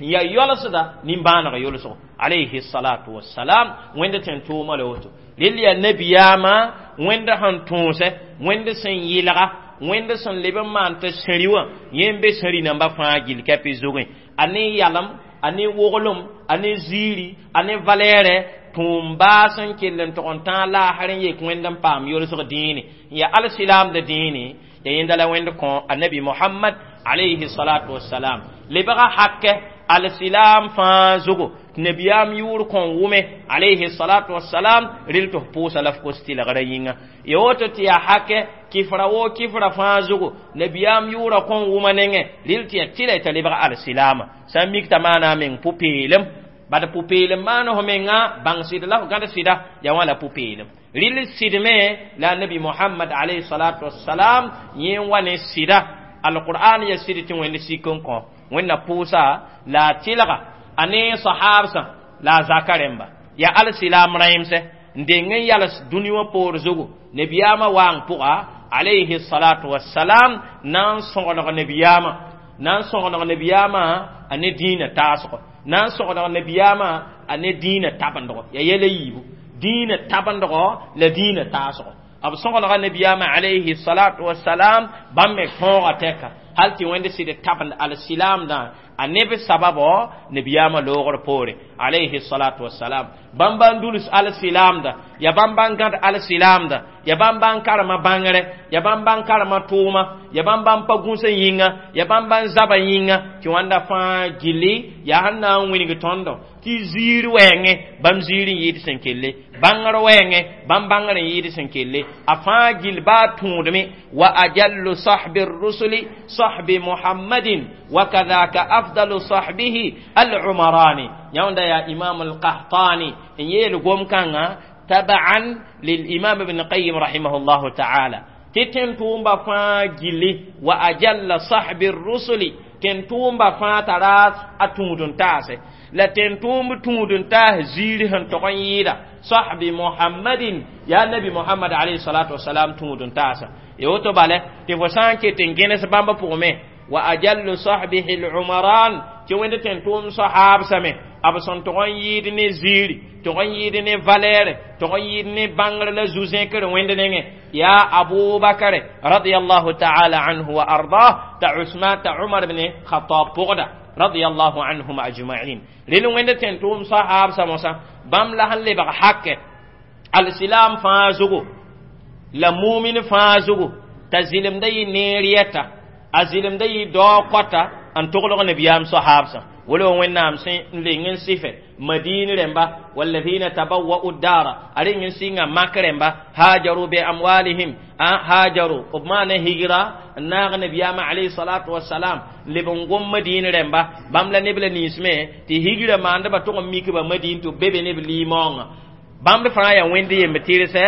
ya yolsda nimbãaneg yolsgo alayhi salatu wassalam Wẽnd tẽn-tʋʋma la woto rel yaa nabiyaamã Wẽnd sẽn tõosɛ Wẽnd sẽn yɩlga Wẽnd sẽn leb n maan t'a sẽri wã yẽ n be sẽri namba fãa gill kɛpɩ zugẽ a ne yalem a ne woglem a ne ziiri a ne valɛɛrɛ tũum baas n kell n tog n tãag laasr n yek Wẽnd n paam yolsg dĩine n yaa alsilaamda dĩine ya yẽnda la Wẽnd kõ annabi Mohamad alayhi salatu wassalam lebga hakɛ alsilaam fãa zugu tɩ nabiyaam yʋʋr kõn wʋme alayhi salatu wassalam rel tɩ f pʋʋsa la f kos tɩlgrã yĩnga ya woto tɩ yaa hakɛ kifra woo kifra fãa zugu nabiyaam yʋʋra kõn wʋma nengẽ rel tɩ yaa tɩla t'a lebg alsilaama sã n mik t'a maana a meng pʋ-peelem bad pʋ-peelem maan f menga bãng sɩd la f gãd sɩda yaa wã la pʋ-peelem rɩl sɩdme la nabi Mohamad alayhi salatu wassalam yẽ n wa ne sɩda alqur'an ya sɩd tɩ Wẽnd sik n kõ Wẽnna pʋʋsa la a tɩlga a ne sahabsã la a zaka rẽmba yaa alsilaam rãimsɛ n deng n yals dũni wã poor zugu nabiyaamã waang pʋga alayhi salatu wassalam na n sõgeneg nabiyaamã na n sõgeneg nabiyaamã a ne dĩinã taasgo na n sõgeneg nabiyaamã a ne dĩinã tabendgo yaa yɛla yiibu dĩinã tabendgo la dĩinã taasgo b sõgenega nabiyaamã alayhi salatu wassalam bãmb me tõoga tɛka hal tɩ Wẽnd sɩd tabend alsilaamdã. A neb sababo nabiyama loogr poore alayhi salatu wassalam. Bãmba n duls al-silaamda, ya bãmba n gãd al-silaamda, ya bãmba n karema bãngre, ya bãmba n karema tʋʋma, ya bãmba n pa gũsã yĩnga, ya bãmba n zaba yĩnga, tɩ wãnda fãa gilli yaa sẽn na n wĩneg tõndo tɩ ziir wɛɛngẽ bãmb ziir n yɩɩd sẽn kelle, bãngr wɛɛngẽ bãmb bãngr n yɩɩd sẽn kelle, a fãa gill baa tũudme. Wa ajallu sahbi rusuli sahbi muhammadin wa kadhaka afdalu sahbihi al-umarani. Yãunda yaa imam al-qahtani n yeel gom-kãngã tabaan lilimam ibn qayyim rahimahullahu ta'ala, tɩ tẽn-tʋʋmba fãa gilli. Wa ajalla sahbi rusuli, tẽn-tʋʋmba fãa tara a tũud n taase, la tẽn-tʋʋmb tũud n taas ziir sẽn tog n yɩɩda sahbi muhammadin, yaa nabi muhammad alayhi salatu wasalam tũud n taasa. Ya woto bale tɩ fo sã n ket n gẽnes bãmb pʋgme wa ajallu sahbihi al-umaran, tɩ wẽnd tẽn-tʋʋm sahaabsame b sẽn tog n yɩɩd ne ziiri, tog n yɩɩd ne valɛɛre, tog n yɩɩd ne bãngr la zu-zẽkr wẽnd nengẽ, yaa abubakar radiyallahu ta'ala anhu wa ardah, ta usman, ta umar ibn khattab pʋgda radiyallahu anhum ajma'in. Rel wẽnd tẽn-tʋʋm sahaabsa mosã bãmb la sẽn lebg hakɛ alsilam fãa zugu la mumin fãa zugu, t'a zɩlemda yɩ neer yɛta, a zɩlemda yɩ dao kɔta n toglg nabiyaam sahaabsã. Wala wẽnnaam sẽn n leng n sɩfɛ madin rẽmba, walladhina tabawwa'u ddara, a reng n sɩnga mak rẽmba, hajaru be amwalihim, hajaru b maana higra n naag nabiyaamã alayhi salatu wasalam leb n gom madin rẽmba. Bãmb la neb la nins me tɩ higra maandbã tʋg n mikba madin tɩ b be be neb limaoongã. Bãmb fãa yaa wẽnd yemb tɩrsɛ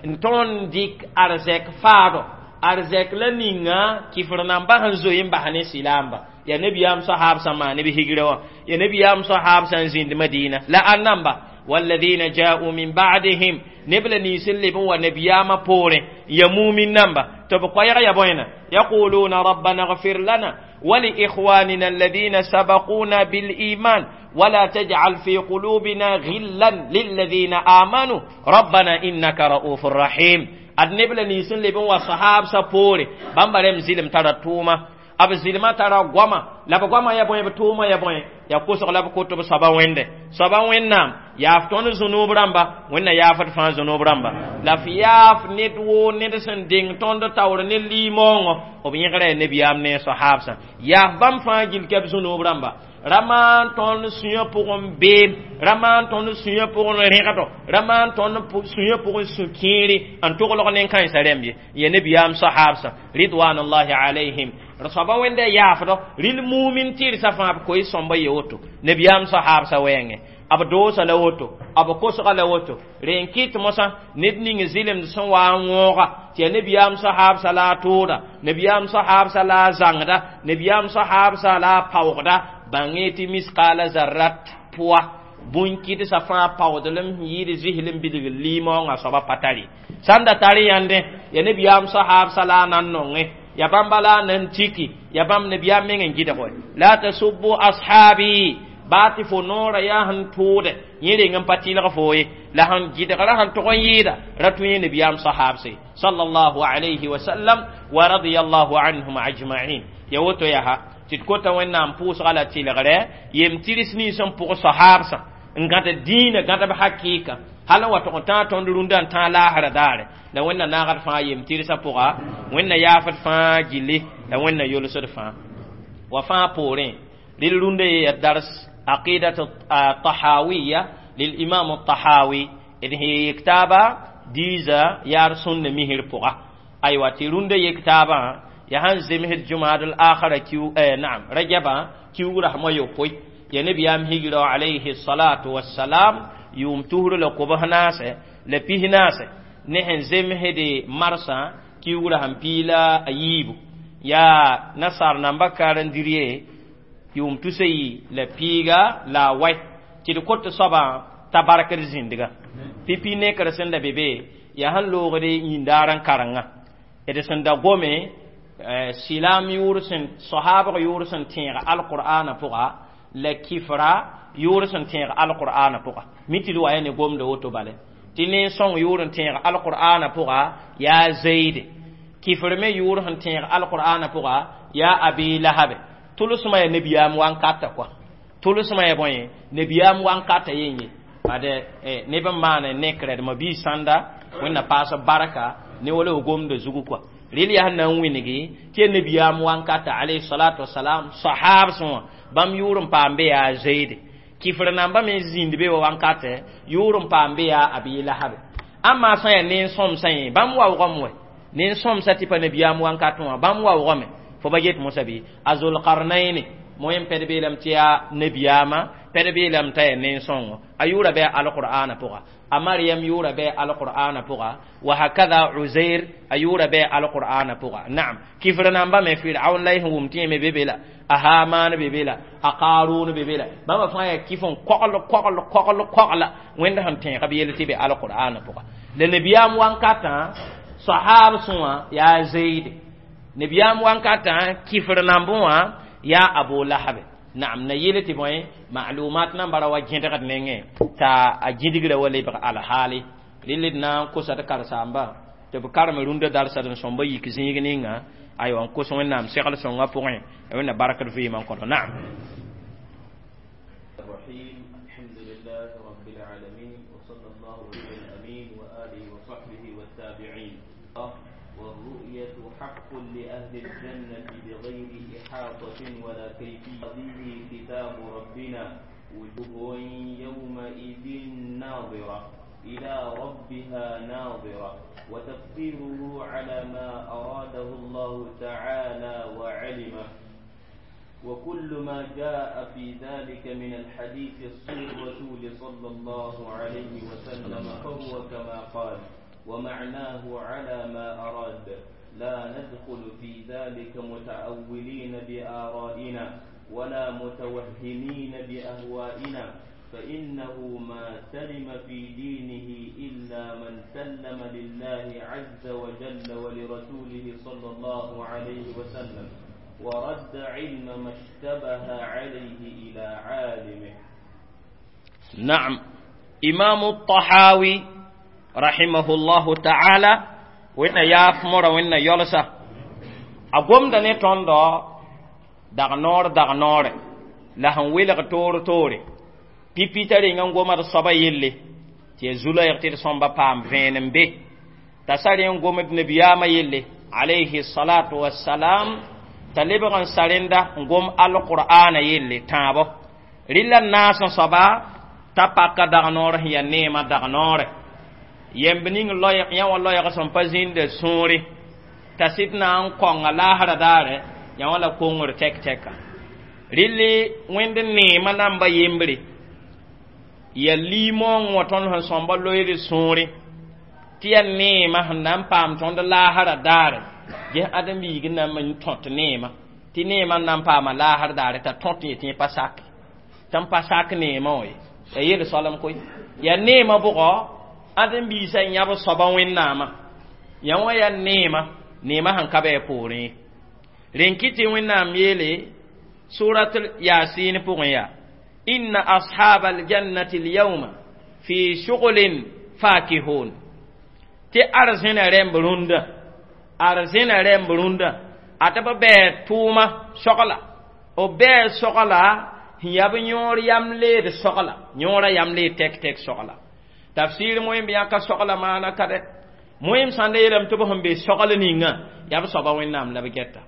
n tõnd dɩk arzɛk faado, arzɛk la ninga kifr namba sẽn zoe n bas ne silaamba. Ya nabiyaam sahaab sã maan b higra wã, ya nabiyaam sahaab sã n zĩnd madina la a namba walladhina ja'u min ba'dihim, neb la nins n leb n wa nabiyaamã poorẽ ya mumin namba tɩ b koɛɛg ya bõena yaquluna rabbana اغfir lana ولإخواننا الذين سبقونا بالإيمان ولا تجعل في قلوبنا غلا للذين آمنوا ربنا إنك رؤوف رحيم. Ad neb la nins n leb n wa sahaab sã poore, bãmba rem zɩlem tara tʋʋma, b zɩlmã tara goama, la b goamã ya bõe, b tʋʋmã ya bõe, yaa kosg la b kot b soaba wẽnde. Soaba wẽnnaam yaaf tõnd zũnub rãmba, wẽnna yaafd fãa zũnub rãmba, la f yaaf ned woo ned sẽn deng tõnd taoor ne limaoongõ, b yẽgra yaa nebiyaam ne sahaabsã, yaaf bãmb fãa gill ka b zũnub rãmba. Ra maan tõnd sũyã pʋgẽ beem, ra maan tõnd sũyã pʋgẽ rẽgdo, ra maan tõnd sũyã pʋgẽ sũ-kẽere n toglg nen-kãensã rẽmb ye, ya nebiyaam sahaabsã ridwanullahi alayhim. Soaba wẽnda yaafdɔ rɩl mumin tɩrsa fãa b koe sõmba ye woto nebiyaam sahaabsã wɛɛngẽ, b doosa la woto, b kosga la woto. Rẽ n kɩt mosã ned ning zɩlemd sẽn wa n wõoga tɩ yaa nebiyaam sahaabsã la a tʋʋda, nebiyaam sahaabsã la a zãngda, nebiyaam sahaabsã la a paoogda. Bãngẽ tɩ misqaala zarrat pʋa bũn-kɩdsa fãa paoodlem sẽn yɩɩd zɩsl n bilgr limaoongã soaba pa tare. Sã n da tar yãndẽ yaa nebiyaam sahaabsã la a na n nongẽ, ya bãmba la a nan tiki, ya bãmb nebiyaam meng n gɩdg wɛ la tasubbu ashabi, baa tɩ fo noorã yaa sẽn tʋʋdɛ yẽ reng n pa tɩlg fo ye, la sẽn gɩdgra sẽn tog n yɩɩda ra tũ yẽ nebiyaam sahaabse sallallahu alayhi wa sallam wa radiyallahu anhum ajma'in. Ya woto yaa tɩ d kota wẽnnaam pʋʋsga la tɩlgrɛ yem tɩrs nins n pʋg sahaabsã n gãd dĩinã, gãd b hakɩɩka hal n wa tog n tãag tõnd rũndã n tãag laasra daare. La wẽnna naagd fãa yem tɩrsã pʋga, wẽnna yaafd fãa gilli, la wẽnna yolsd fãa wa fãa poorẽ. Rel rũndã ye ya dars aqidat tahawiya lilimam tahawi d sẽn yek taaba diiza yaar sũnna misr pʋga. Aywa, tɩ rũndã yek taabã ya sãn zemsd jumad al akhira kiu, naam, rajaba kiugrã rasmã yopoe, ya nebiyaam higra alayhi salatu wassalam yʋʋm tusr la kobs naase la pis naase, ne sẽn zemsde marsã kiugrã sẽn piila a yiibu, yaa nasaar namba karen-dĩr ye yʋʋm tusa yi la piiga la a wai, tɩ d kot soabã t'a barkd zĩndga pipi nekr sẽn da be be yaa sẽn loogd yĩndaar n karenga d sẽn da gome silaam yʋʋr sẽn sahaabg yʋʋr sẽn tẽeg alqur'ana pʋga la kifra yʋʋr sẽn tẽeg alqur'ana pʋga mi tɩ d wa ya ne gomda woto bale tɩ nen-sõng yʋʋr n tẽeg alqur'ana pʋga yaa zeide, kifr me yʋʋr sẽn tẽeg alqur'ana pʋga yaa abi lahabe. Tʋlsmã yaa nabiyaam wankata kɔa tʋlsmã yaa bõe nabiyaam wankata yen ye ad neb n maan nekrɛdmã bɩ sãnda wẽnna paas barka ne wala f gomda zugu kɔa rel yaa sẽn na n wĩngi tɩ yaa nabiyaam wankata alayhi salatu wasalam sahab sẽ wã bãmb yʋʋr n paam be yaa zeide kifr namba me zĩnd be wa wankatɛ yʋʋr n paam be yaa abi lahabe ãmma sã yaa nen-sõmsã yẽ bãmb waoogame wɛ nen-sõmsã tɩ pa nabiyaam wankatẽ wã bãmb waoogame fo ba get mosã bɩ a zulkarnaini moyen pɛd beelame tɩ yaa nabiyaamã pɛd beelame t'a yaa nen-sõngo a yʋʋra bɩ alqur'ana pʋga a mariam yʋʋra bɩ alqur'ana pʋga wa hakada uzair a yʋʋra bɩ alqur'ana pʋga naam kifr namba me firaun la y sẽn wʋm tɩ yẽ me be be la a haman be be la a qarun be be la bãmba fãa yaa kif n kogl kogl kogl kogla wẽnd sẽn tẽeg b yell tɩ be alqur'ana pʋga la nabiyaam wankatã sahab sẽwã yaa zeide nabiyaam wankatã kifr nambẽ wã yaa abu lahabe naam na yɩl tɩ bõe maalumat nambara wa gẽdgd nengẽ t'a a gĩdgrã wa lebg alhaali rel d na n kosa d karsaamba tɩ b karem rũndã darsd n sõmba yik zĩig ninga aywa n kos wẽnnaam segl sõngã pʋgẽ wẽnna bark d vɩɩmã n kõto naam الرحيم الحمد لله رب العالمين وصلى الله على الأمين وآله وصحبه والتابعين والرؤية حق لأهل الجنة بغير إحاطة ولا كيفية به كتاب ربنا وجوه يومئذ ناظرة إلى ربها ناظرة وتفسيره على ما أراده الله تعالى وعلمه وكل ما جاء في ذلك من الحديث الصحيح الرسول صلى الله عليه وسلم فهو كما قال ومعناه على ما أراد لا ندخل في ذلك متأولين بآرائنا ولا متوهمين بأهوائنا فإنه ما سلم في دينه إلا من سلم لله عز وجل ولرسوله صلى الله عليه وسلم ورد علم ما اشتبه عليه إلى عالمه. نعم إمام الطحاوي رحمه الله تعالى wẽnna yaaf mora wẽnna yolsa a gomda ne tõndo dag noor dag noore la sẽn welg toor toore pipi t'a reng n gomd soaba yelle tɩ ya zu-loɛɛg tɩ d sõmba paam vẽenem be t'a sa rẽ n gomd nabiyaamã yelle alayhi salatu wassalam t'a lebg n sa rẽnda n gom alqur'ana yelle tãabo rɩla naas n soaba t'a paka dag noor sẽn yaa neemã dag noore yemb ning loɛɛg yã wã loɛɛg sẽn pa zĩnda sũure t'a sɩd na n kõnga laasra daare yã wã la kongr tɛk-tɛka rɩlli wẽnd neemã namba yembre ya liimoong wã tõnd sẽn sõmba loeed sũure tɩ yaa neemã sẽn na n paam tõnd laasra daare ges ãdem-biig n na n tõt neemã tɩ neemã n na n paama laasr daare t'a tõt yetɩ yẽ pa sak tɩ n pa sak neemã wã ye ya yel soalem koe yaa neemã bʋgɔ ãdem-biisã yãb soaba wẽnnaamã yã wã yaa neemã neemã sẽn ka bɩ a poorẽ ye rẽn kɩ tɩ wẽnnaam yeele surat yasin pʋgẽ yaa inna ashab aljannati alyawma fi shuglin fakihun tɩ arzẽna rẽmb rũndã arzẽna rẽmb rũndã a tɩ b bɛɛ tʋʋma sogla b bɛɛ sogla sẽn yaa b yõor yam leed sogla yõora yam leed tɛk-tɛk sogla tafsir moẽm yãka sogla maana ka dɛ moẽm sãn da yeelame tɩ b sẽn be sogl ninga yaa b soaba wẽnnaam la b gɛta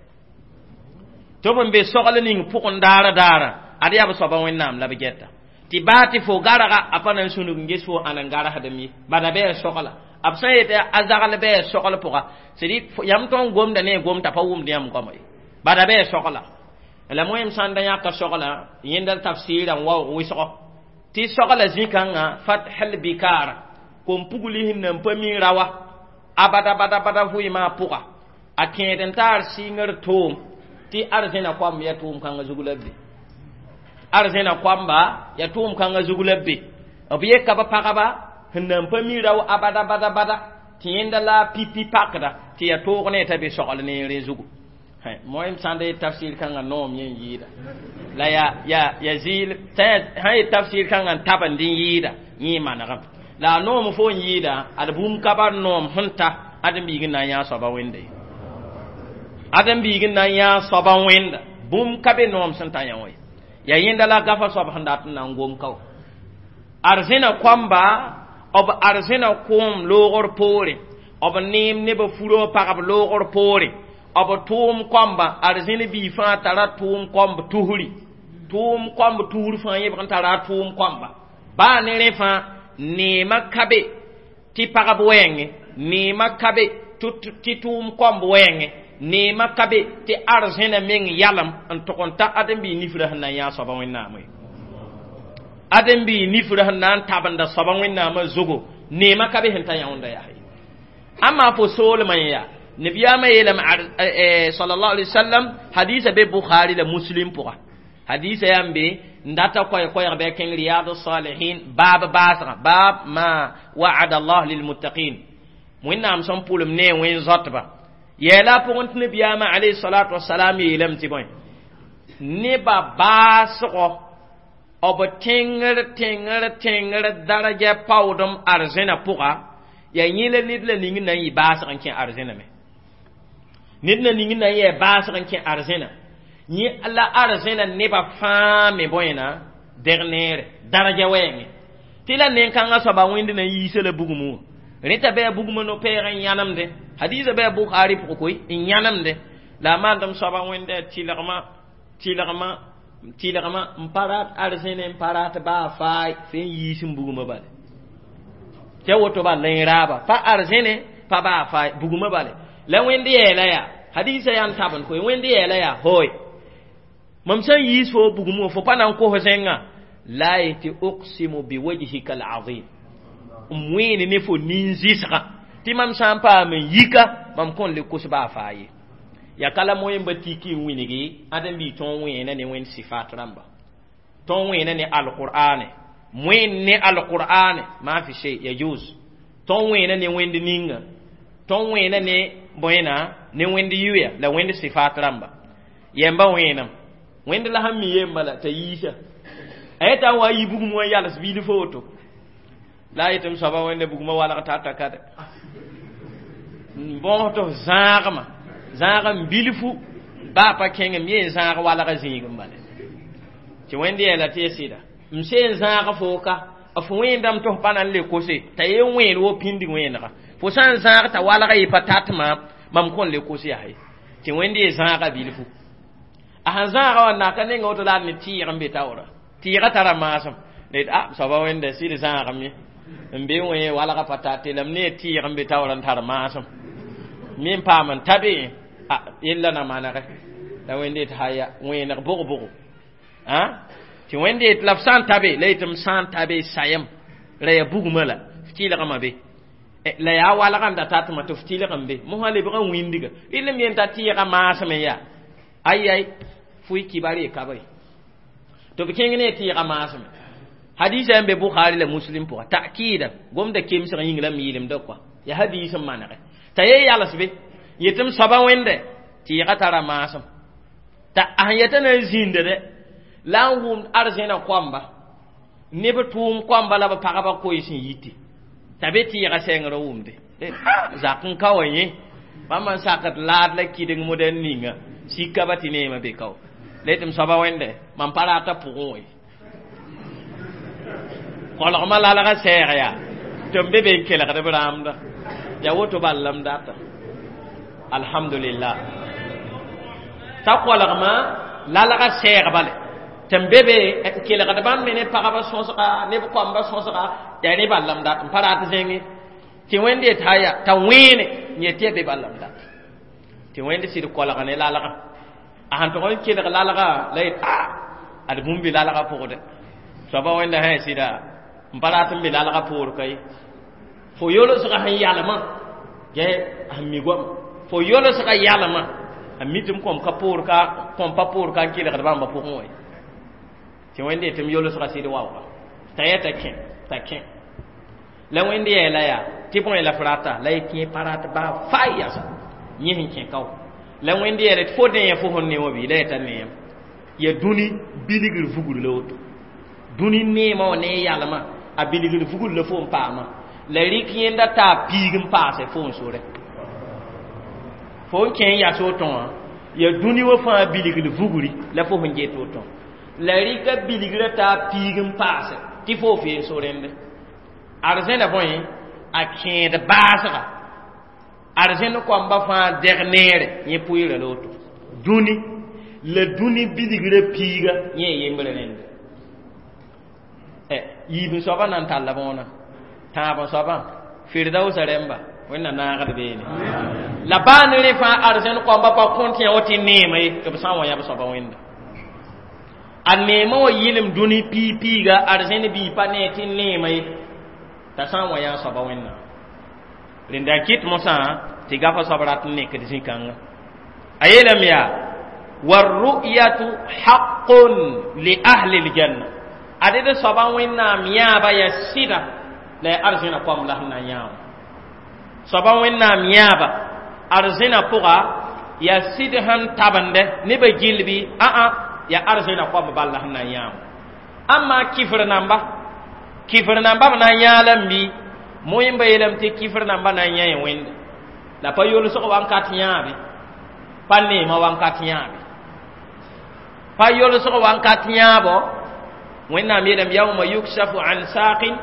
tɩ b sẽn be sogl ning pʋgẽ daara daara ad yaa b soaba wẽnnaam la b gɛta tɩ baa tɩ fo garga a pa na n sũnug n ges fo ãn n garsdem ye bada bɩ a sogla b sã n yetɩ a zagl bɩ a sogl pʋga c'est yãmb tõnd gomda ne a gom t'a pa wʋmd yãmb goama ye bada bɩ a sogla la moẽm sãn da yãka sogla yẽnda tafsɩɩrã n waoog wɩsgo tɩ sogla zĩ-kãngã fathel bikara kom-pugli sẽn nan pa mi rawa abada bada bada vɩɩmã pʋga a kẽed n taar sɩngr toom tɩ arzẽna koamb yaa tʋʋm kãngã zug la be arzẽna koamba yaa tʋʋm kãngã zug la be b yeka b pagba sẽn nan pa mi rao abada bada bada tɩ yẽnda la pipi pakda tɩ yaa toog ne t'a be sogl neere zugu moẽm sãn da yet tafsir kãngã noom yẽ n yɩɩda la ya ya ya zɩɩl sã yet tafsir kãngã n tabend n yɩɩda yẽ manegem la a noom fo n yɩɩda ad bũmb ka bar noom sẽn ta ãdem-biig n na n yãa soaba wẽnda ye ãdem-biig n na n yãa soaba wẽnda Bũmb ka be noom sẽn ta yã wã ya yẽnda la gafa soab sẽn dat n na n gom kao arzẽna koamba b arzẽna koom loogr poore b neem neb furo pagb loogr poore b tʋʋm koamba arzẽn bii fãa tara tʋʋm koamb tusri tʋʋm koamb tusr fãa yẽbg n tara a tʋʋm koamba baa ne rẽ fãa neemã ka be tɩ pagb wɛɛngẽ neemã ka be tɩ tʋʋm koamb wɛɛngẽ neemã ka be tɩ arzẽna meng yalem n tʋg n ta ãdem-biig nifrã sẽn na n yã soaba wẽnnaamã ye ãdem-biig nifrã sẽn na n tabenda soaba wẽnnaamã zugu neemã ka be sẽn ta yãonda yaa ye ãmma fo soolmã n yaa nabiyaamã yeelame sallallahu alaihi wasallam hadisa be bukhari la muslim pʋga hadisa yaa n be n data koɛɛ-koɛɛg bɩ a kẽng riyadu salihin baab baasgã baab ma wa'ada allah lilmuttaqin wẽnnaam sẽn pʋlem ne wẽn-zoatba yɛɛla a pʋgẽ tɩ nabiyaamã alayhi salatu wasalam yeelame tɩ bõe nebã baasgɔ b tẽngr tẽngr tẽngr daraja paoodem arzẽna pʋga yaa yẽ la ned la ning na n yɩ baasg n kẽ arzẽna me ned na ning na n yɛɛ baasg n kẽ arzẽna yẽ la arzẽna nebã fãa me bõena deg neere daraja wɛɛngẽ tɩ la nen-kãngã soaba wẽnd na n yiisa la bugum wã rẽ t'a bɩ a bugmã no-peeg n yãnemdẽ hadiisa bɩ a Bukhari pʋgẽ koe n yãnemdẽ la a maandem soaba wẽnda tɩlgmã tɩlgmã tɩlgmã n pa rat arzẽne n pa rat baa faay fẽ n yiis n bugmã bale tɩ a woto bal la raaba pa arzẽne pa baa faay bugmã bale la wẽnd yɛɛla yaa hadiisa yaa n tabend koe wẽnd yɛɛla yaa hooy mam sẽn yiis fo bugum wã fo pa na n kos zẽngã la yetɩ uqsimu biwajhika alazim n wẽene ne fo nin-zɩsgã tɩ mam sã n paam n yika mam kõn le kos baa faa ye ya ka la moẽmba tiki n wilgi ãdem-biig tõog wẽena ne wẽnd sifat rãmba tõog wẽena ne alqur'ane wẽnd ne alqur'ane ma fi shay yajuz tõog wẽena ne wẽnd ninga tõog wẽena ne bõena ne wẽnd yuya la wẽnd sifat rãmba yɛmba wẽenam wẽnd la sẽn mi yemba la t'a yiisa a yeta n wa yi bugum wã yals bil fo woto la a yetɩ m soaba wẽnda bugumã walg tata ka de n bõos tɩ f zãagmã zãag n bilfu baa pa kẽng m yeen zãag walga zĩig n bale tɩ wẽnd yɛɛla tɩ ya sɩda m seen zãag fo ka f wẽendame tɩ f pa na n le kose t'a yen wẽen wo pĩnd wẽenega fo sã n zãag t'a walga yɩ pa tat maam mam kõn le kos yaa ye tɩ wẽnd ye zãaga bilfu a sẽn zãaga wã naka nenga woto la a ne tɩɩg n be taoora tɩɩga tara maasem la yet a soaba wẽnda sɩd zãagem ye n be wẽ walga pa tate la m ne tɩɩg n be taoora n tar maasem me n paam n ta be a yella na manege la wẽnd yet haya wẽeneg bʋg-bʋgo tɩ wẽnd yet la f sã n ta be la yetɩ m sã n ta be sayem la yaa bugmã la f tɩlgmã be la yaa walga n da tatmã tɩ f tɩlg n be mosã lebg n wĩndiga rɩl m yen t'a tɩɩga maasem n yaa ay ay fo y kibar ye ka be tɩ b kẽng ne tɩɩga maaseme hadisa n be Bukhari la Muslim pʋga ta'kida gomda kemsg yĩng la m yɩlemda kɔa ya hadis n manege t'a ye yals be yetɩ m soaba wẽnde tɩɩga tara maasem t'a a sẽn yetã na n zĩnda dɛ la n wʋmd arzẽna koamba neb tʋʋm koamba la b pagba koe sẽn yite t'a be tɩɩga sɛngr n wʋmde zak n ka wa yẽ bãmb n sakd laad la kɩdeng modɛl ninga sika ba tɩ neemã be kao la yetɩ m soaba wẽnde mam pa rata pʋgẽ wã ye kolgmã lalga sɛɛg yaa tɩ m be be n kelgd b rãamda ya woto bal la m data alhamdulillah t'a kolgmã lalga sɛɛg bale tɩ m be be n kelgd bãmb me ne pagba sõsga neb koamba sõsga yaa ne bal la m dat n pa rat zẽnge tɩ wẽnd yet haya t'a wẽene n yet tɩ ya be bal la m dat tɩ wẽnd sɩd kolg ne lalga a sẽn tʋg n kelg lalga la yet a ad bũmb be lalga pʋgdɛ soaba wẽnda sã sɩda n pa rat n be lalga poor ka ye fo yolsga sẽn yalmã gɛ sẽn mi goama fo yolsga yalmã a mi tɩ m kõm ka poor ka kõm pa poor ka n kelgd bãmba pʋgẽ wã ye tɩ wẽnd yetɩ m yolsga sɩd waooga t'a yɛ t'a kẽ t'a kẽ la wẽnd yɛɛla yaa tɩ bõe la f rata la y kẽ pa rat baa faa yasa yẽ sẽn kẽ kao la wẽnd yɛɛla tɩ fo dẽ fo sẽn ne wã bɩ la yeta neem ya dũni bilgr vugr la woto dũni neemã wã ne yalmã a bilgr vugr la fo n paamã la rɩk yẽnda taa piig n paase fo n sore fo n kẽ n yas woto wã Ya dũni wã fãa bilgl vugri la fo sẽn get woto la rɩka bilgrã t'a piig n paase tɩ fo feen so rẽnde arzẽna bõe a kẽed baasga arzẽn koamba fãa dɛg neere yẽ pʋɩɩra la woto dũni la dũni bilgrã piiga yẽ yembre rẽnde yiib n soabã na n talla bõona tãab n soabã firdausa rẽmba wẽnna naagd beene la baa ne rẽ fãa arzẽn koamba pa kõnt yã wa tɩ neema ye tɩ b sã n wa yãb soaba wẽnda a neema wa yɩlem dũni piig piiga arzẽn bii pa nee tɩ neema ye t'a sã n wa yã soaba wẽnnaam rẽnda n kɩt mosã tɩ gafa soab rat n nekd zĩ-kãnga a yeelame yaa warru'yatu haqqun li ahli ljanna ad d soaba wẽnnaam yãaba ya sɩda la ya arzẽna koam la sẽn na n yã wã soaba wẽnnaam yãaba arzẽna pʋga ya sɩd sẽn tabende nebã gill bɩ ã-ã ya arzẽna koam bal la sẽn na n yã wã ãmma kifr namba b na n yãa lame bɩ moẽmba yeelame tɩ kifr namba na n yãe wẽnde la pa yolsg wãnkat yãabe pa neemã wãnkat yãabe pa yolsg wãnkat yãabo wẽnnaam yeelame yauma yuksafu an saqin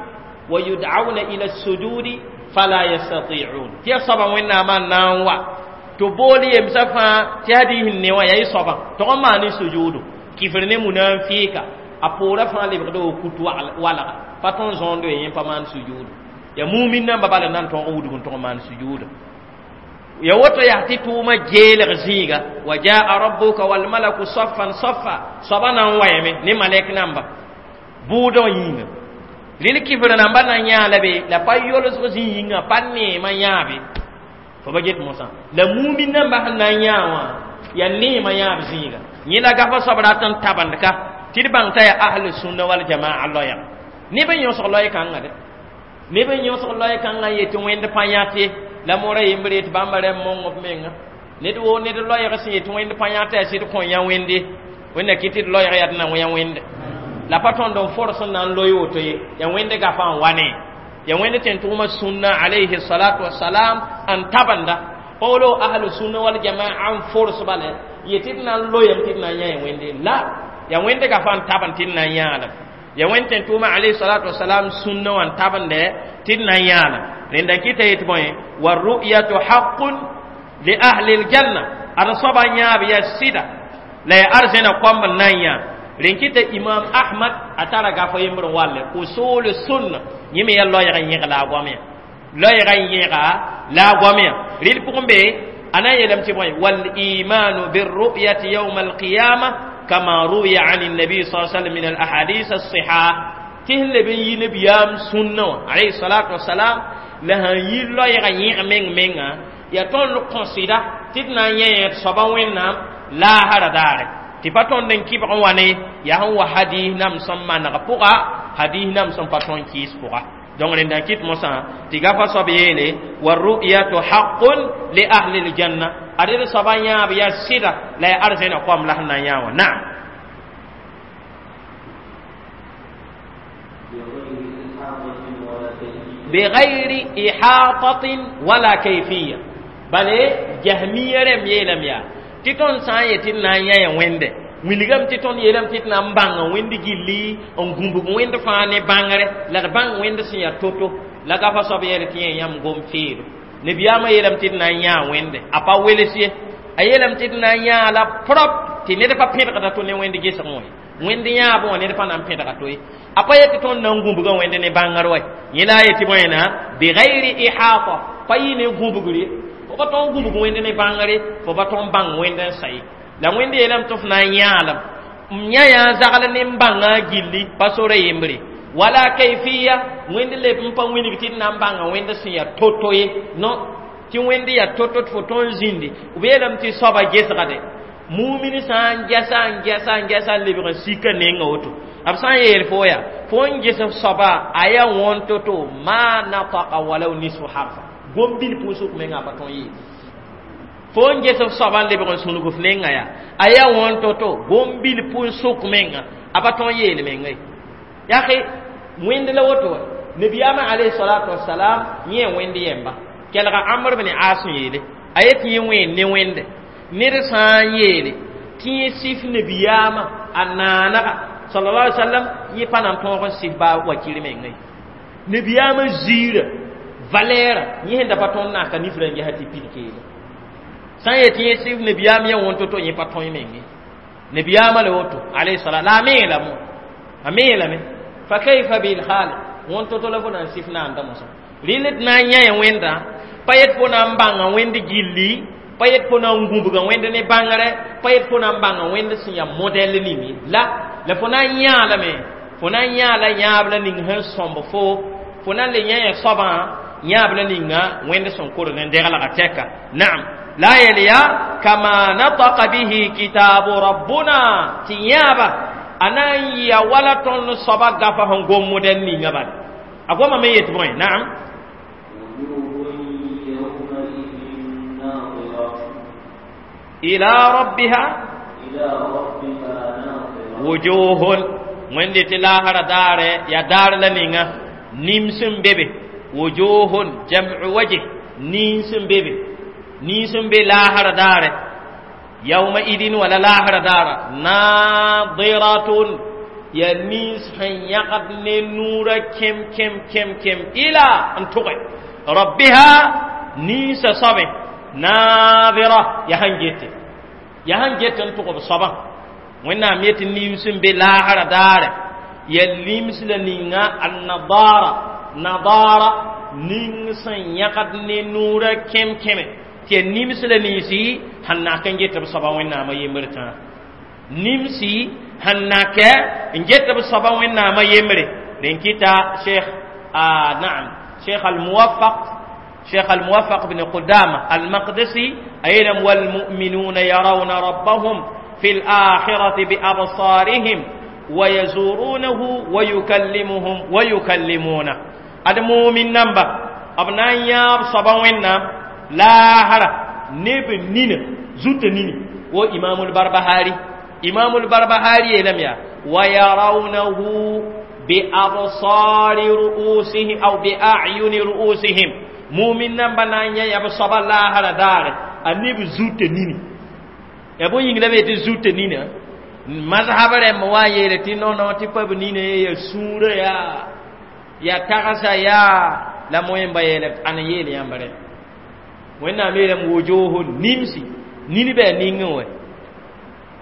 wa yud'auna ila sujudi fala yastati'un tɩ ya soaba wẽnnaamã n na n wa tɩ bool yemsã fãa tɩ hadiis n ne wã yaa y soabã tog n maan sujuudo kifr ne munafika a poorã fãa lebgda wa kut walga pa tõnd zõondo ye yẽ pa maan sujuudo ya mumin namba bala nan tõog n wudg n tõg n maan sujuudo ya woto yaa tɩ tʋʋmã geelg zĩiga wa jaa rabbuka walmalaku saffan saffa soaba na n wayame ne malɛk namba bʋʋdã wã yĩnga rel kifr namba na n yãa la be la pa yolsg zĩ yĩnga pa neemã yãabe fo ba get mosã la mumin namba sẽn na n yãa wã ya neemã yãab zĩiga yẽ la gafa soab rat n tabend ka tɩ d bãng t'a yaa ahlu sunna wal jamaa loɛɛg neb n yõsg loɛɛ-kãngã de neb n yõsg loɛɛ-kãngã n yetɩ wẽnd pa yãt ye la mora yembre yetɩ bãmba rẽmb mong b menga ned woo ned loɛɛg sẽn yetɩ wẽnd pa yãt yaa sɩd kõ yã wẽnde wẽnna kɩ tɩ d loɛɛg yaa d na yã wẽnde la pa tõnd n fors n na n loe woto ye ya wẽnd gafa n wa ne ya wẽnd tẽn tʋʋma sũnna alayhi salatu wasalam n tabenda pa wolo ahlu sunna wal jamaa n fors bale yetɩ d na n loyame tɩ d na n yã ya wẽnde la ya wẽnd gafa n taben tɩ d na n yãalem ya wẽnd tẽn tʋʋma alayhi salatu wasalam sũnna wã n tabende tɩ d na n yãalem rẽnda n kɩta yetɩ bõe warru'yatu haqqun li ahli ljanna ad soaba yãab ya sɩda la ya arzẽna koamb n na n yã rẽn kɩta imam ahmad a tara gafa yembr n walle usul sunna yẽ me yaa loɛɛg n yẽg la a goamyã loɛɛga n yẽga la a goamyã rɩl pʋgẽ be a na n yeelame tɩ bõe walimanu birru'yati yawma alqiyama kama ruwiya an النبي صلى الله عليه وسلم من الأحاديث الصحاح tɩ sẽn leb n yi nabiyaam sũnnã wã alayhi salatu wasalam la sãn yi loɛɛga yẽg meng menga yaa tõnd kõsɩda tɩ d na n yẽ d soaba wẽnnaam laasra daare tɩ pa tõnd n kɩbg n wa ne yaa sẽn wa hadiis nam sẽn maneg pʋga hadiis nam sẽn pa tõnd kɩɩs pʋga donc rẽnda n kɩt mosã tɩ gafa soab yeele warru'yatu haqqun li ahli ljanna ad d soaba yãab yaa sɩda la yaa arzẽna koam la sẽn na n yã wã naam بغير إحاطة ولا كيفية بل جهمية رم يلم يا تيتون سان يتين نا يا ويند wilgame tɩ tõnd yeelame tɩ d na n bãng wẽnd gilli n gũbg wẽnd fãa ne bãngre la d bãng wẽnd sẽn yaa to-to la gafa soab yɛl tɩ yẽ yãmb gom feero nabiyaamã yeelame tɩ d na n yãa wẽnde a pa wels ye a yeelame tɩ d na n yãa la prop tɩ ned pa pẽdgda to ne wẽnd gesg wã wẽnd yãabẽ wã ned pa na n pẽdga to ye a pa yetɩ tõnd na n gũbga wẽnd ne bãngr wa yẽ la a yetɩ bõena bigayri ihata pa yɩ ne gũbgre fo pa tõnd gũbg wẽnd ne bãngre fo pa tõnd bãng wẽnd n sa ye la wẽnd yeelame tɩ f na n yãalem m yã yaa zagl ne n bãngã gilli pa sora yembre wala kayfiya wẽnd leb n pa wilg tɩ d na n bãnga wẽnd sẽn yaa to-to ye non tɩ wẽnd yaa to-to tɩ fo tõnd zĩndi b yeelame tɩ soaba gesgde mumin sã n gɛsa n gɛsa n gɛsa n lebg n sika nenga woto b sã n yeel fo yaa fo n ges f soaba a yaa wõn to-to ma nataka walau nisfu harfa gom-bil pʋʋsg menga a pa tõn yeel fo n ges f soaba n lebg n sũnug f nenga yaa a yaa wõn to-to gom-bil pʋʋsg menga a pa tõn yeel menga ye yaa wẽnd la woto wa nabiyaamã alayhi salatu wasalam yẽ wẽnd yɛmba kelga amr bn as n yeele a yetɩ yẽ wẽen ne wẽnde Ned sã n yeele tɩ yẽ sɩf nabiyaamã a naanaga sallallahu alaihi wasallam yẽ pa na n tõog n sɩf baa wakir mengã ye. Nabiyaamã ziirã valɛɛrã yẽ sẽn da pa tõnd naaka nifrã n gesa tɩ pid keelã sã n yet tɩ yẽ sɩf nabiyaam yã wõnto to yẽ pa tõe menge nabiyaamã la woto alayhi salam la a mee lame a mee lame fa kayfa bil khaliq wõnto to la fo na n sɩf naanda mosã rɩl d na n yã wẽnda pa yet fo na n bãnga wẽnd gilli pa yet fo na n gũbga wẽnd ne bãngre pa yet fo na n bãnga wẽnd sẽn yaa modɛl ning ye la fo na n yãa lame fo na n yãa la yãab la ning sẽn sõmb fo na n le yã ya soabã yãab la ninga wẽnd sẽn kord n deglga tɛka naam la yel ya kama nataka bihi kitabu rabbuna tɩ yãaba a na n yɩa wala tõnd soaba gafa sẽn gom modɛl ninga bala a goma me yet bõe naam ila rabbiha wujuhun wẽnde tɩ laasra daare ya daar la ninga nims n be be wujuhun jam'u wajh nins n be be nins n be laasra daare yawma idin wala laasra daara nadiratun ya nins sẽn yãgd ne nuurã kem kem kem kem ila n tʋge rabbiha ninsa soabe nadira ya sẽn gete ya sẽn get n tʋg b soabã wẽnnaam yetɩ nims n be laasra daare ya lims la ninga annadara nadara ning sẽn yãgd ne nuurã kem keme tɩ ya nims la ninsi sẽn nak n get b soabã wẽnnaamã yembr tãa nimsi sẽn nakɛ n get b soabã wẽnnaamã yembre rẽn kɩta cheikh naam cheikh almuwafaq شيخ الموفق بن قدامة المقدسي أيضا والمؤمنون يرون ربهم في الآخرة بأبصارهم ويزورونه ويكلمهم ويكلمونه هذا مؤمن نمبا أبناء ياب صباوين لا هرا نب نين زوت نين وإمام البربهاري إمام البربهاري لم يا ويرونه بأبصار رؤوسهم أو بأعين رؤوسهم mumin nan ba na n yã yaa b soaba laasra daare a neb zutã nini ya bõe yĩng la be tɩ zutã nina mazhab rãmb wa n yeele tɩ no tɩ pa b nina ye ya sũurã yaa ya tagsa yaa la moẽmba yeele ãn n yeel yãmb rẽ wẽnnaam yeelame wojoosn nimsi nin bɩ a ningẽ wɛ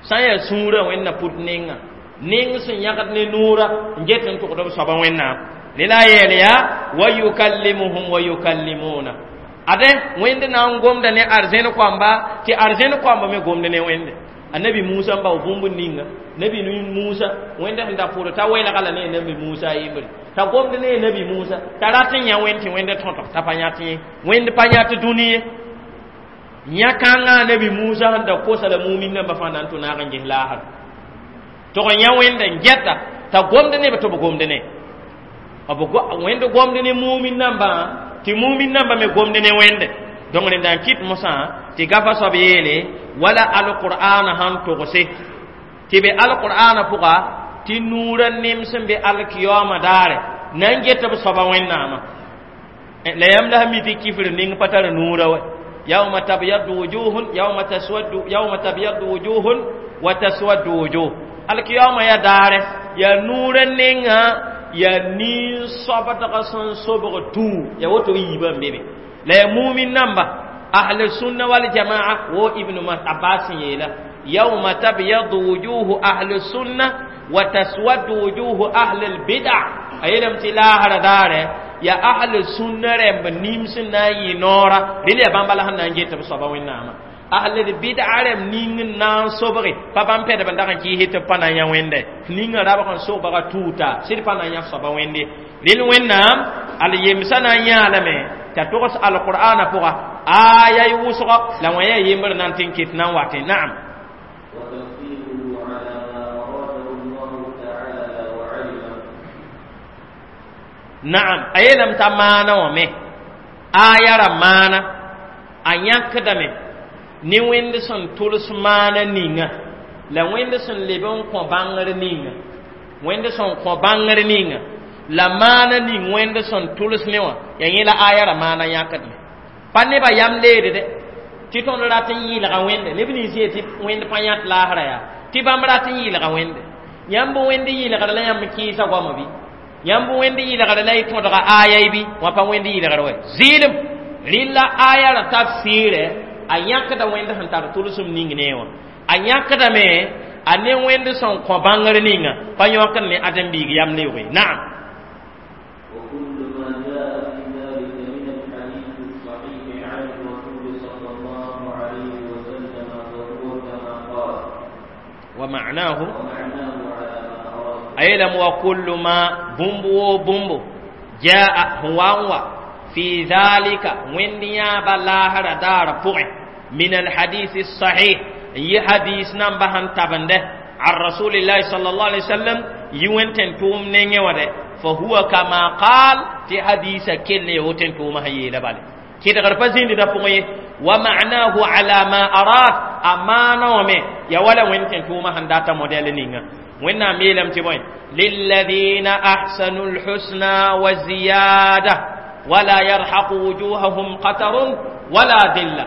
sã n yaa sũurã wẽnna put nenga neng sẽn yãgd ne noora n get n tʋgd b soaba wẽnnaam la yeel yaa wa yukallimuhum wa yukallimuna ade wẽnd na n gomda ne arzẽn koamba tɩ arzẽn koamba me gomd ne wẽnde annabi musa n bao bũmb ninga nabi musa wẽnd sẽn da pʋʋr t'a welga la ne nabi musa yembre t'a gomd ne nabi musa t'a rat n yã wẽnd tɩ wẽnd tõtg t'a pa yãt ye wẽnd pa yãt dũni ye yã-kãngã nabi musa sẽn da kosa la mumin nambã fãa na n tʋ naag n ges laasr tʋg n yã wẽnda n gɛta t'a gomd ne b tɩ b gomd ne b wẽnd gomd ne mumin nambã tɩ mumin nambã me gomd ne wẽnde donc rẽnda n kɩt mosã tɩ gafa soab yeele wala alqur'ana sãn togse tɩ be alqur'ana pʋga tɩ nuurã nems n be alkiyaooma daare na n get b soaba wẽnnaamã la yãmb la sã mi tɩ kifr ning pa tar nuurã wɛ yawma tabyaddu wujuhun yawma taswaddu yawma tabyaddu wujuhun wa taswaddu wujuh alkiyaooma ya daare ya nuurã nenga ya nin-soabdga sẽn sobg tuu ya woto yiibã n be be la ya mumin namba ahl sunna wal jamaa wo ibnu abbas yeela yawma tabyaddu wujuhu ahli sunna wa taswaddu wujuhu ahli albid'a a yeelame tɩ laasra daare ya ahli sunna rãmb nims n na n yɩ noora rel yaa bãmb la sẽn na n get b soaba wẽnnaamã ahli bid'a rãmb ning n na n sobge pa bãmb pɛdb n dag n kɩɩse tɩ b pa na n yã wẽnde ninga rabg n sogbga tuuta sɩd pa na n yã soaba wẽnde rel wẽnnaam al yemsã na n yãa lame t'a togs alqur'ana pʋga aya y wʋsgɔ la wã yaa yembr na n tɩ n ket na n watẽ naam naam a yeelame t'a maana wã me aya ra maana a yãkdame ne wẽnd sẽn tʋls maana ninga la wẽnd sẽn leb n kõ bãngr ninga wẽnd sẽn kõ bãngr ninga la maana ning wẽnd sẽn tʋls ne wã ya yẽ la aya ra maana yãkdme pa nebã yam leede dɛ Tɩ tõnd rat n yɩɩlga wẽnde neb nins yetɩ wẽnd pa yãt laasra yaa tɩ bãmb rat n yɩɩlga wẽnde yãmb wẽnd yɩɩlgr la yãmb kẽesa goama bɩ yãmb wẽnd yɩɩlgr la y tõdga aya bɩ wã pa wẽnd yɩɩlgr wɛ zɩɩlem rɩlla aya ra tafsiirɛ a yãkda wẽnd sẽn tar tʋlsem ning ne wã a yãkdame a ne wẽnd sẽn kõ bãngr ninga pa yõkd ne ãdem-biig yam leoog ye naam. وكل ما جاء في ذلك من الحديث الصحيح عن الرسول صلى الله عليه وسلم فهو كما قال. ومعناه ومعناه على ما أراد. أيلم وكل ما بومبو بومبو جاء هو في ذلك وين يابا لاهر دار فوق من الحديث الصحيح yi hadis nan ba han tabande عن رسول الله صلى الله عليه وسلم يوين تنتوم نيني وده فهو كما قال في حديث كل يوتن توم هي لبال كده غرفة زين ده فوقي ومعناه على ما أراد أمانة ومي يا ولا وين تنتوم هنداتا موديل نينغا وين ميلم تبوين للذين أحسنوا الحسنى وزيادة ولا يرحق وجوههم قتر ولا ذلة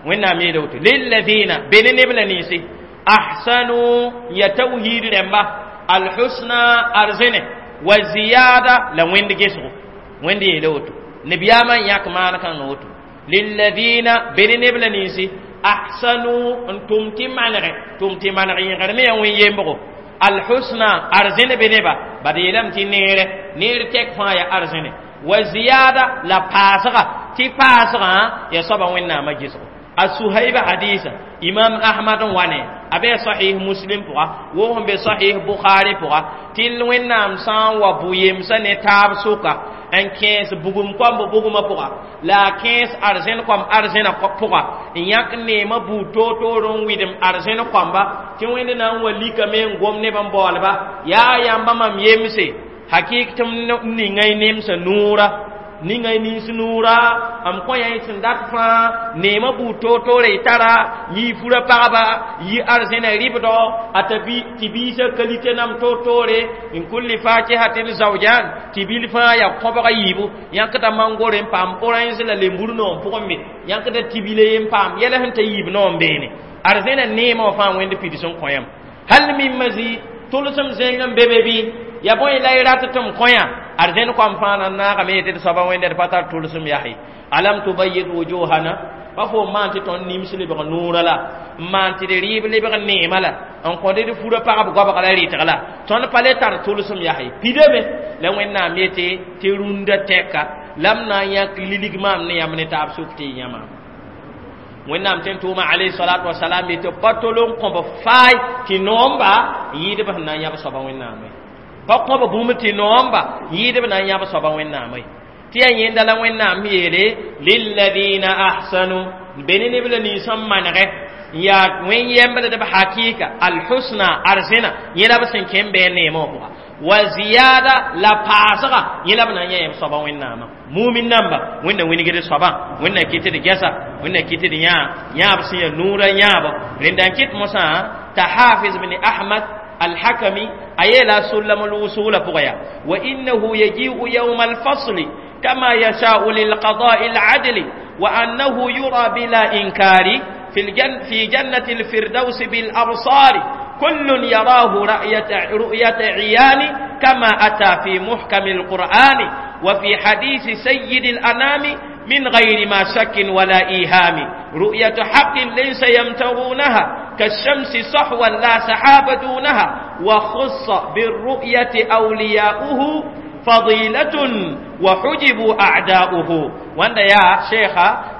وين ميلوت للذين بين نبل نيسي أحسنوا يتوهيد رمبا الحسنى أرزنه وزيادة لوين دجسو وين دي يلوتو نبياما ياك ما كان نوتو للذين بين نبل نيسي أحسنوا أنتم تمانغ تم تمانغ يغرمي وين يمبرو الحسنى أرزنه بنبا بديلم تنير نير تك فايا أرزنه وزيادة لا باسغا تي باسغا يا صبا وين نام جسو السهيب حديث إمام أحمد واني أبي صحيح مسلم بقى وهم بصحيح بخاري بقى تل وين نام سان وبويم سن تاب سوكا ان كيس بوغم كوم بوغم بقى لا كيس أرزين كوم أرزين بقى إن يك نيما بوتو تورون ويدم أرزين كوم با تي وين نام ولي كمين غوم نبام بولبا يا يامبا مام يمسي حقيقة نينغاي نيمس نورا ningay nins nuura am kõ yã sẽn dat fãa neemã buud toor-toore y tara yɩ fura pagba yɩ arzẽna rɩbdɔ a tɩ biisã kalite nam toor-toore n kulli fakihatin zawjan tɩ bil fãa yaa kõbga yiibu yãkda mangore n paam orange la lembur noom pʋgẽ me yãkda tibile n paam yɛla sẽn ta yiib noom beene arzẽna neemã wã fãa wẽnd pids n kõ yãmb hal min mazid tʋlsem zẽng n be be bɩ ya bõe la y rat tɩ m kõ yã arzẽn koam fãa na naagame tɩ d soaba wẽnda d pa tar tʋlsem yahe alam tubayid wujuhana pa fo maan tɩ tõnd nims lebg nuurã la n maan tɩ d rɩɩb lebg neemã la n kõ d furã pagb goabg la rɩtg la tõnd pa le tar tʋlsem yahe pidame la wẽnnaam yetɩ tɩ rũndã tɛka la m na n yãk lilig maam ne yãmb ne taab sʋk tɩ y yãma wẽnnaam tẽn tʋʋma alayhi salatu wasalam yetɩ pa tol n kõb faay tɩ noomba yɩɩdb sẽn na n yãb soaba wẽnnaame pa kõb bũmb tɩ noomba yɩɩdb na n yãb soaba wẽnnaame tɩ yaa yẽnda la wẽnnaam yeele lilladina ahsanu be ne neb la nins n manegɛ yaa wẽn yɛmbldb hakɩɩka alhusna arzẽna yẽ la b sẽn kẽ n bɩ neemã wã pʋga wa ziyada la paasga yẽ la b na n yã yãmb soaba wẽnnaamã mumin namba wẽnna wingd soabã wẽnna kɩt d gɛsa wẽnna kɩt d yãa yãab sẽn yaa nuurã yãabo rẽnda n kɩt mosã t'a hafiz bn ahmad الحكمي أيلا سلم الوصول فغيا وإنه يجيء يوم الفصل كما يشاء للقضاء العدل وأنه يرى بلا إنكار في جنة الفردوس بالأبصار كل يراه رؤية عيان كما أتى في محكم القرآن وفي حديث سيد الأنام من غير ما شك ولا إيهام رؤية حق ليس يمترونها كالشمس صحوا لا سحاب دونها وخص بالرؤية أولياؤه فضيلة وحجبوا أعداؤه. وأن يا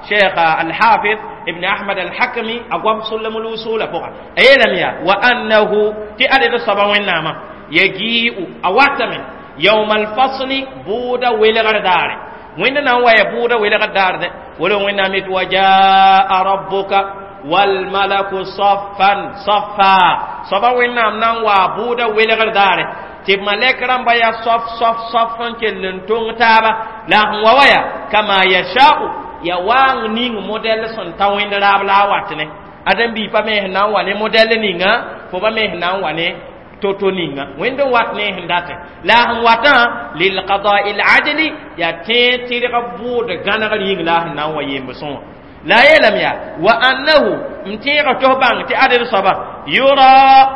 شيخ الحافظ ابن أحمد الحكمي أقوم سلم الوصول فوق أيلم يا وأنه تأدي الصبا والنعمة يجيء أواتم يوم الفصل بودا ولغردار وين نوا يبودا ولغردار ولو وين نمت وجاء ربك والملك صفا صفا صفا وين نام نوا بودا ولغردار tɩ malɛk rãmba yaa sof sof sof n kell n tõng taaba la sẽn wa wa yaa kama yashau ya waang ning modɛl sẽn ta wẽnd raab la a wat ne ãdem-biig pa me sẽn na n wa ne modɛl ninga fo pa me sẽn na n wa ne toto ninga wẽnd n wat ne sẽn datẽ la sẽn watã lilqadai ladli yaa tẽeg tɩrg bʋʋd gãnegr yĩng la a sẽn na n wa yemb sõa. La yeelame yaa wa annahu n tẽega tɩ f bãng tɩ adb soaba yura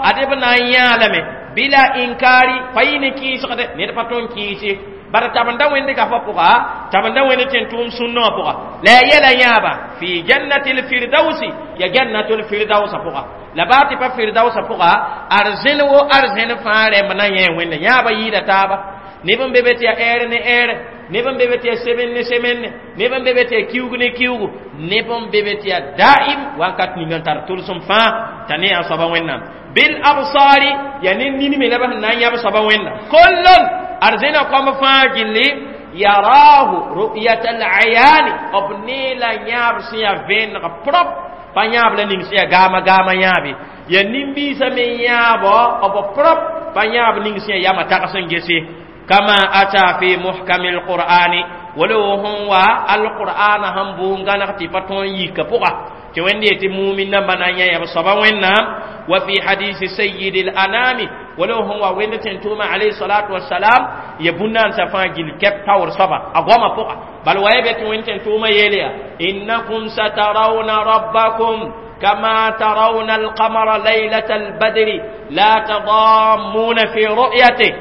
adb na n yãa lame bila inkari pa yɩ ne kɩɩsgde ned pa tõe n kɩɩse bara tabenda wẽnd gafa pʋga tabenda wẽnd tẽn-tʋʋm sũnnã wã pʋga la ya yɛla yãaba fi jannati lfirdausi ya jannatul firdausa pʋga la baa tɩ pa firdausa pʋga arzẽn wo arzẽn fãa rẽmb na yẽ wẽnde yãaba yɩɩda taaba neb n be be tɩ ya ɛɛr ne ɛɛrɛ neb n be be tɩ ya semenne ne semenne neb n be be tɩ ya kiugu ne kiugu neb n be be tɩ ya daim wakat ning n tar tʋlsem fãa t'a ne yaa soaba wẽnnaam bil absari ya ne nin me la b sẽn na n yãb soaba wẽnnaam kollon arzẽna kõmb fãa gilli yarahu ru'yat al-ayani b ne la yãab sẽn yaa vẽeneg prop pa yãab la ning sẽn yaa gaama gaama yãabe ya nin-biisã me yãabo b prop pa yãab ning sẽn yaa yama tags n gese kama ata fi muhkami alqur'ani wala hon wa alqur'ana han buun gãneg tɩ pa tõe n yika pʋga tɩ wẽnd yetɩ mumin namba na n yã yãb soaba wẽnnaam wa fi hadisi sayyidi al-anami wala hon wa wẽnd tẽn-tʋʋma alayhi salatu wassalam ya bũn-naansa fãa gill kɛp taoor soaba a goamã pʋga bal wa ya be tɩ wẽnd tẽn-tʋʋmã yeel yaa innakum satarawna rabbakum كما ترون القمر ليلة البدر لا تضامون في رؤيته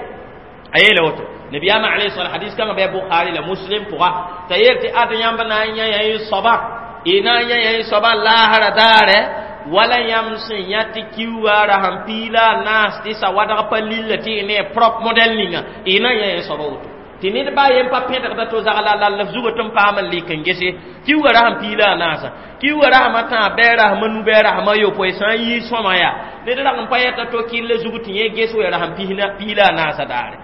a yeela woto nabiyaamã alayhi salam hadis kãngã bɩ bukhari la muslim pʋga t'a yeel tɩ ad yãmb na n yã yã soaba y na n yã yã soaba laasra daare wala yãmb sẽn yã tɩ kiuga ra sẽn piila a naas tɩ sawadg pa lilla tɩ y ne prop modɛl ninga y na n yã yã soaba woto tɩ ned baa yen pa pẽdgda to zagla la la zugã tɩ n paam n lik n gese kiuga ra sẽn piila a naasã kiuga rasmã tãa bɛɛ rasmã nu bɛɛ rasmã yopoe sã n yɩ sõma yaa ned rag n pa yɛta to kɩlla zug tɩ yẽ ges wa ra sẽn piila a naasã daare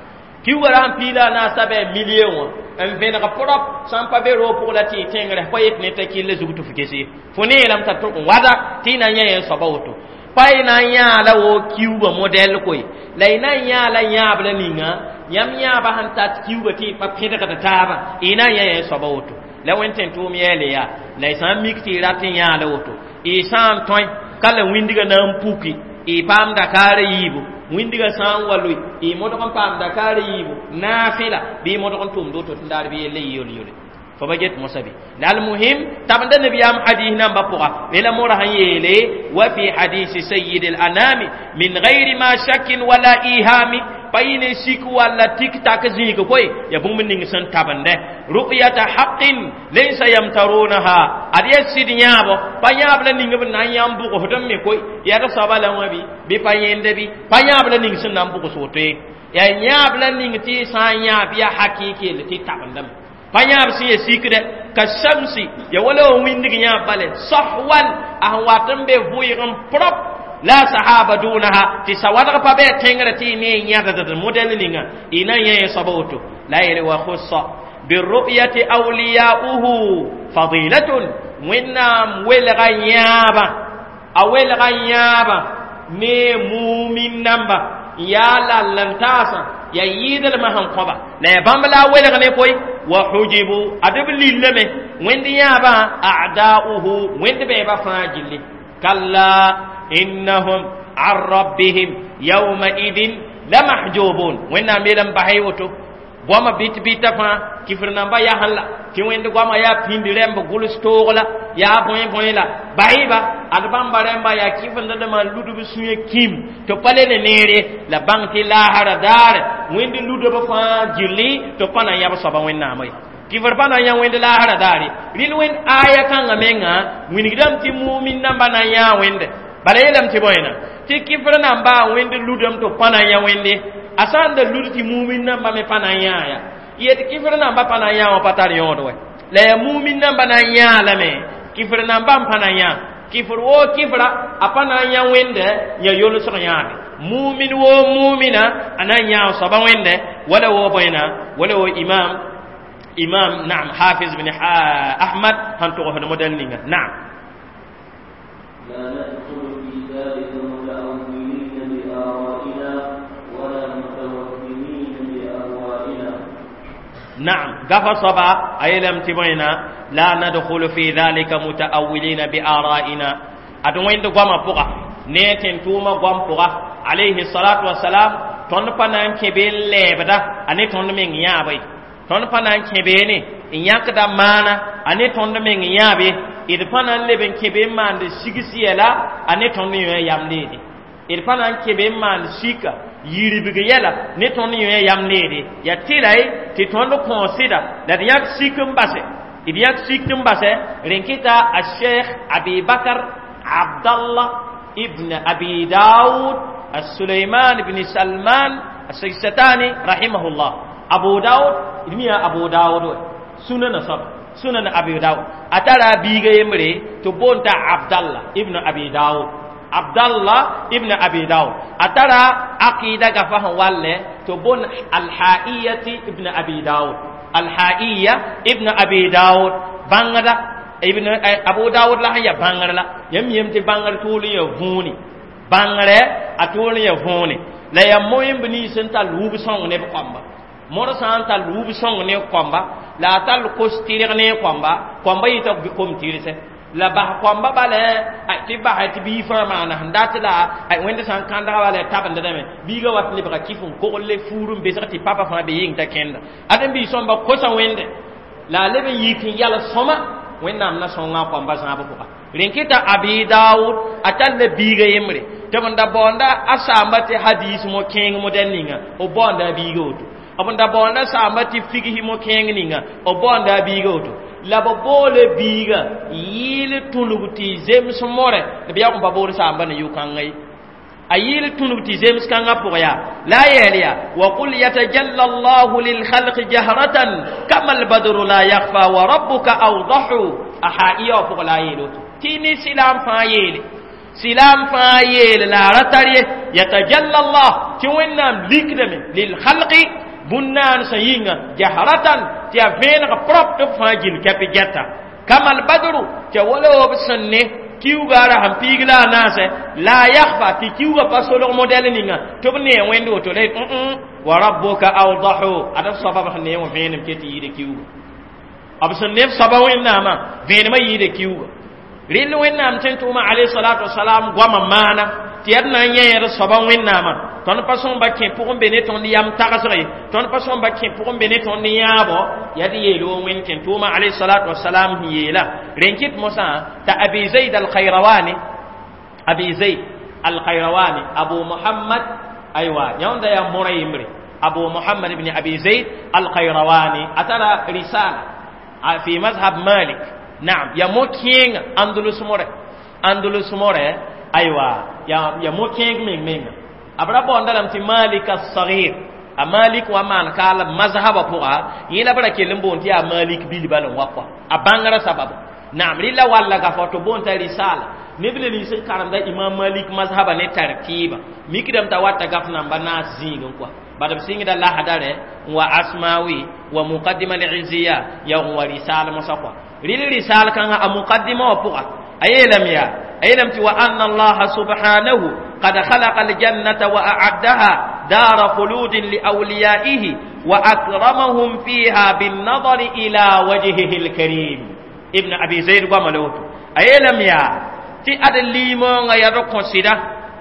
kiuga ra sẽn piila a naasã bɩ milie wã n vẽneg prop sã n pa be roog pʋg la tɩ y tẽngrẽ pa yet ne t'a kɩlla zug tɩ f gese fo ne yeelame t'a tʋg n wada tɩ y na n yã yẽ soaba woto pa y na n yãa la wo kiuga modɛl koe la y na n yãa la yãab la ninga yãmb yãaba sẽn tat kiuga tɩ y pa pẽdgd taabã y na n yã yẽ soaba woto la wẽnd tẽn-tʋʋm yɛɛle yaa la y sã n mik tɩ y rat n yãa la woto y sã n tõe ka la wĩndgã na n puki y paam dakaarã yiibu wĩndgã sã n wa loe y modg n paam dakaarã yiibu naafɩla bɩ y modg n tʋmd woto tɩ n daar bɩ yelle yɩ yol-yole fo ba get mosã bɩ la almuhim tabenda nabiyaam hadis nambã pʋga la mora sẽn yeele wa fi hadisi sayyid al-anami min gayri ma shakin wala ihami pa yɩ ne sik walla tik-tak zĩig koe ya bũmb ning sẽn tabende ru'yata haqqin laysa yamtarunaha ad ya sɩd yãabo pa yãab la ning b na n yãmb bʋgsd n me koe yaa d soaba la wã bɩ bɩ pa yẽnde bɩ pa yãab la ning sẽn na n bʋgs woto ye yaa yãab la ning tɩ y sã n yãab yaa hakɩɩk yelle tɩ tabendame pa yãab sẽn ya sikdɛ ka shamsi ya wala wa wĩndg yãab bale sahwan a sẽn wat n be vʋɩg n prop la sahaba dunaha tɩ sawadg pa bɩ a tẽngrã tɩ y ne yãddd modɛl ninga y na n yã yẽ soaba woto la yele wa khussa birru'yati awliya'uhu fadilatun wẽnnaam welga yãabã a welga yãabã ne mumin namba yaa lall n taasã ya yɩɩdlmã sẽn kõba la ya bãmb la a welg ne koe wa hujibu ad b lillame wẽnd yãabã a'da'uhu wẽnd bɛɛbã fãa gilli kalla innahum an rabbihim yawmaidin lamahjubun wẽnnaam yeelame basy woto goama bɩt bɩta fãa kifr namba yasẽn la tɩ wẽnd goama yaa pĩnd rẽmb gʋls toog la yaa bõe bõe la basɩba ad bãmba rẽmba yaa kifndãdãmã ludb sũyã kĩm tɩ pa le ne neere la bãng tɩ laasra daare wẽnd ludb fãa gilli tɩ pa na n yãb soaba wẽnnaamã ye kifr pa na n yã wẽnd laasra daare rɩl wẽnd aya kãngã menga wilgdame tɩ mumin namba na n yãa wẽnde bala yeelame tɩ bõena tɩ kifr namba wẽnd ludame tɩ pa na n yã wẽnde a sã n da lud tɩ mumin namba me pa na n yãa ya yet kifr namba pa na n yã wã pa tar yõod wɛ la ya mumin namba na n yãa lame kifr namba n pa na yã kifr woo kifra a pa na n yã wẽnde ya yolsg yãabe mumin woo mumina a na n yãa soaba wẽnde wala woo bõena wala woo imam naam hafiz bin ahmad sẽn togsd modɛl ninga naam لا ندخل في ذلك متأولين بآرائنا ولا متوهمين بأهوائنا نعم غفا صبا أي لم تبينا لا ندخل في ذلك متأولين بآرائنا أدوين دو قام بقى نيتن توما قام بقى عليه الصلاة والسلام tõnd pa na n kẽ be n lɛɛbda a ne tõnd meng yãabe tõnd pa na n kẽ beene n yãkda maana a ne tõnd meng yãabe D pa na n leb n kẽ be n maand sigs yɛla a ne tõnd yõ yam neede. D pa na n kẽ be n maand sika yiribg yɛla ne tõnd yõ yam neede. Ya tɩla ye tɩ tõnd kõ sɩda la d yãk sik n base, d yãk sik n base. Rẽn kɩta a Sheikh Abi Bakr Abdallah ibn Abi Daud Sulaiman ibn Salman As-Sajistani rahimahullah. Abu Daud d mi yaa Abu Daud sunana soaba sunan Abi Daud a tara a biiga yembre tɩ boond t'a Abdallah ibn Abi Daud. Abdallah ibn Abi Daud a tara aqida gafa sẽn wallẽ tɩ boond Alhaiyati ibn Abi Daud. Alhaiya ibn Abi Daud bãngda ibn Abu Daud la sẽn ya bãngr la yãmb yem tɩ bãngr tʋʋl n ya võone, bãngrɛ a tʋʋl n ya võone la yaa moẽmb nins n tall wub sõng ne b kõmba. Mõr sã n tall wub sõng ne kõmba la a tall kos tɩrg ne kõmba, kõmba yɩta kom tɩrse la bas kõmba bala tɩ basɛ tɩ bii fãa maana sẽn dat la wẽnd sã n kãndga bala tabendame biiga wat lebga kɩf n kogl le fuur n besg tɩ papa fãa be yɩng t'a kẽnda ad n bii sõmba kosa wẽnde la a leb n yik n yal sõma Wẽnnaam na sõnga kõmba zãab pʋga. Rẽn kɩta Abi Daoud a tall biiga yembre tɩ b da baoonda a saamba tɩ hadis mo kẽeng modɛl ninga b baoonda a biiga woto, b da baoonda saamba tɩ figsi mo kẽeng ninga b baoonda a biiga woto, la b boole biiga yɩɩl tũnug tɩ zems more b yaa n pa bood saamba ne yʋ-kãngã ye. A yɩɩl tũnug tɩ zems kãngã pʋg yaa la a yeel yaa wa qul yatajalla Allahu lilkhalqi jahratan kama albadru la yakhfa wa rabbuka awdahu. A haiya wã pʋg la a yeel woto tɩ ne silaam fãa yeele, silaam fãa yeele la a ra tar ye yatajalla Allah tɩ Wẽnnaam likdame lilkhalqi bũn-naansã yĩnga jahratan tɩ yaa vẽeneg prop tɩ b fãa gil kɛp gɛta kama albadru tɩ ya wala b sẽn ne kiuga ra sẽn piig la a naasɛ la a yakhfa tɩ kiuga pa solg modɛl ninga tɩ b nee wẽnd woto la wa rabbuka awdahu ad b soaba b sẽn nee wã vẽenem ket yɩɩda kiuga b sẽn ne b soaba Wẽnnaamã vẽenemã yɩɩda kiuga. Rɩl Wẽnnaam tẽn tʋʋma alayhi salatu wasalam goamã maana tɩ yaa d na n yẽ d soaba Wẽnnaamã. Tõnd pa sõmba kẽ pʋgẽ be ne tõnd yam tagsg ye, tõnd pa sõmba kẽ pʋgẽ be ne tõnd yãabo yaa d yeel wo Wẽnd tẽn tʋʋma alayhi salatu wasalam sẽn yeela. Rẽn kɩt mosã t'a Abi Zaid Alkhayrawani, Abi Zaid Alkhayrawani Abu Muhammad, aywa yãonda yaa mõra yembre Abu Muhammad ibn Abi Zaid Alkhayrawani a tara risala fi mazhab Malik. Naam, ya mo kẽenga Andalus more, Andalus more, aywa ya mo kẽeng meng menga b ra baoonda lame tɩ Malik as-Saghir. A Malik wa maan kaal mazhaba pʋga yẽ la b ra kell n boond tɩ yaa Malik bilba n wa kɔa a bãngrã sabab. Naam, rɩla walla gafa tɩ boond t'a risala neb le nins n karemda Imam Malik mazhaba ne tartiiba mikdame t'a wata gaf namba naas zĩigẽ kɔa bad b sɩngda lasdare n wa Asmawi wa Muqaddima al-Izziya ya n wa risal mosã kɔa. Rɩl risal kãngã a muqaddima wã pʋga a yeelame yaa a yeelame tɩ wa anna Allaha subhanahu qad khalaqa aljannata wa a'addaha dara khuludin liawliyaihi wa akramahum fiha binnadari ila wajhihi alkarim. Ibn Abi Zaid goama la woto a yeelame yaa tɩ ad liimoongã yaa d kõ sɩda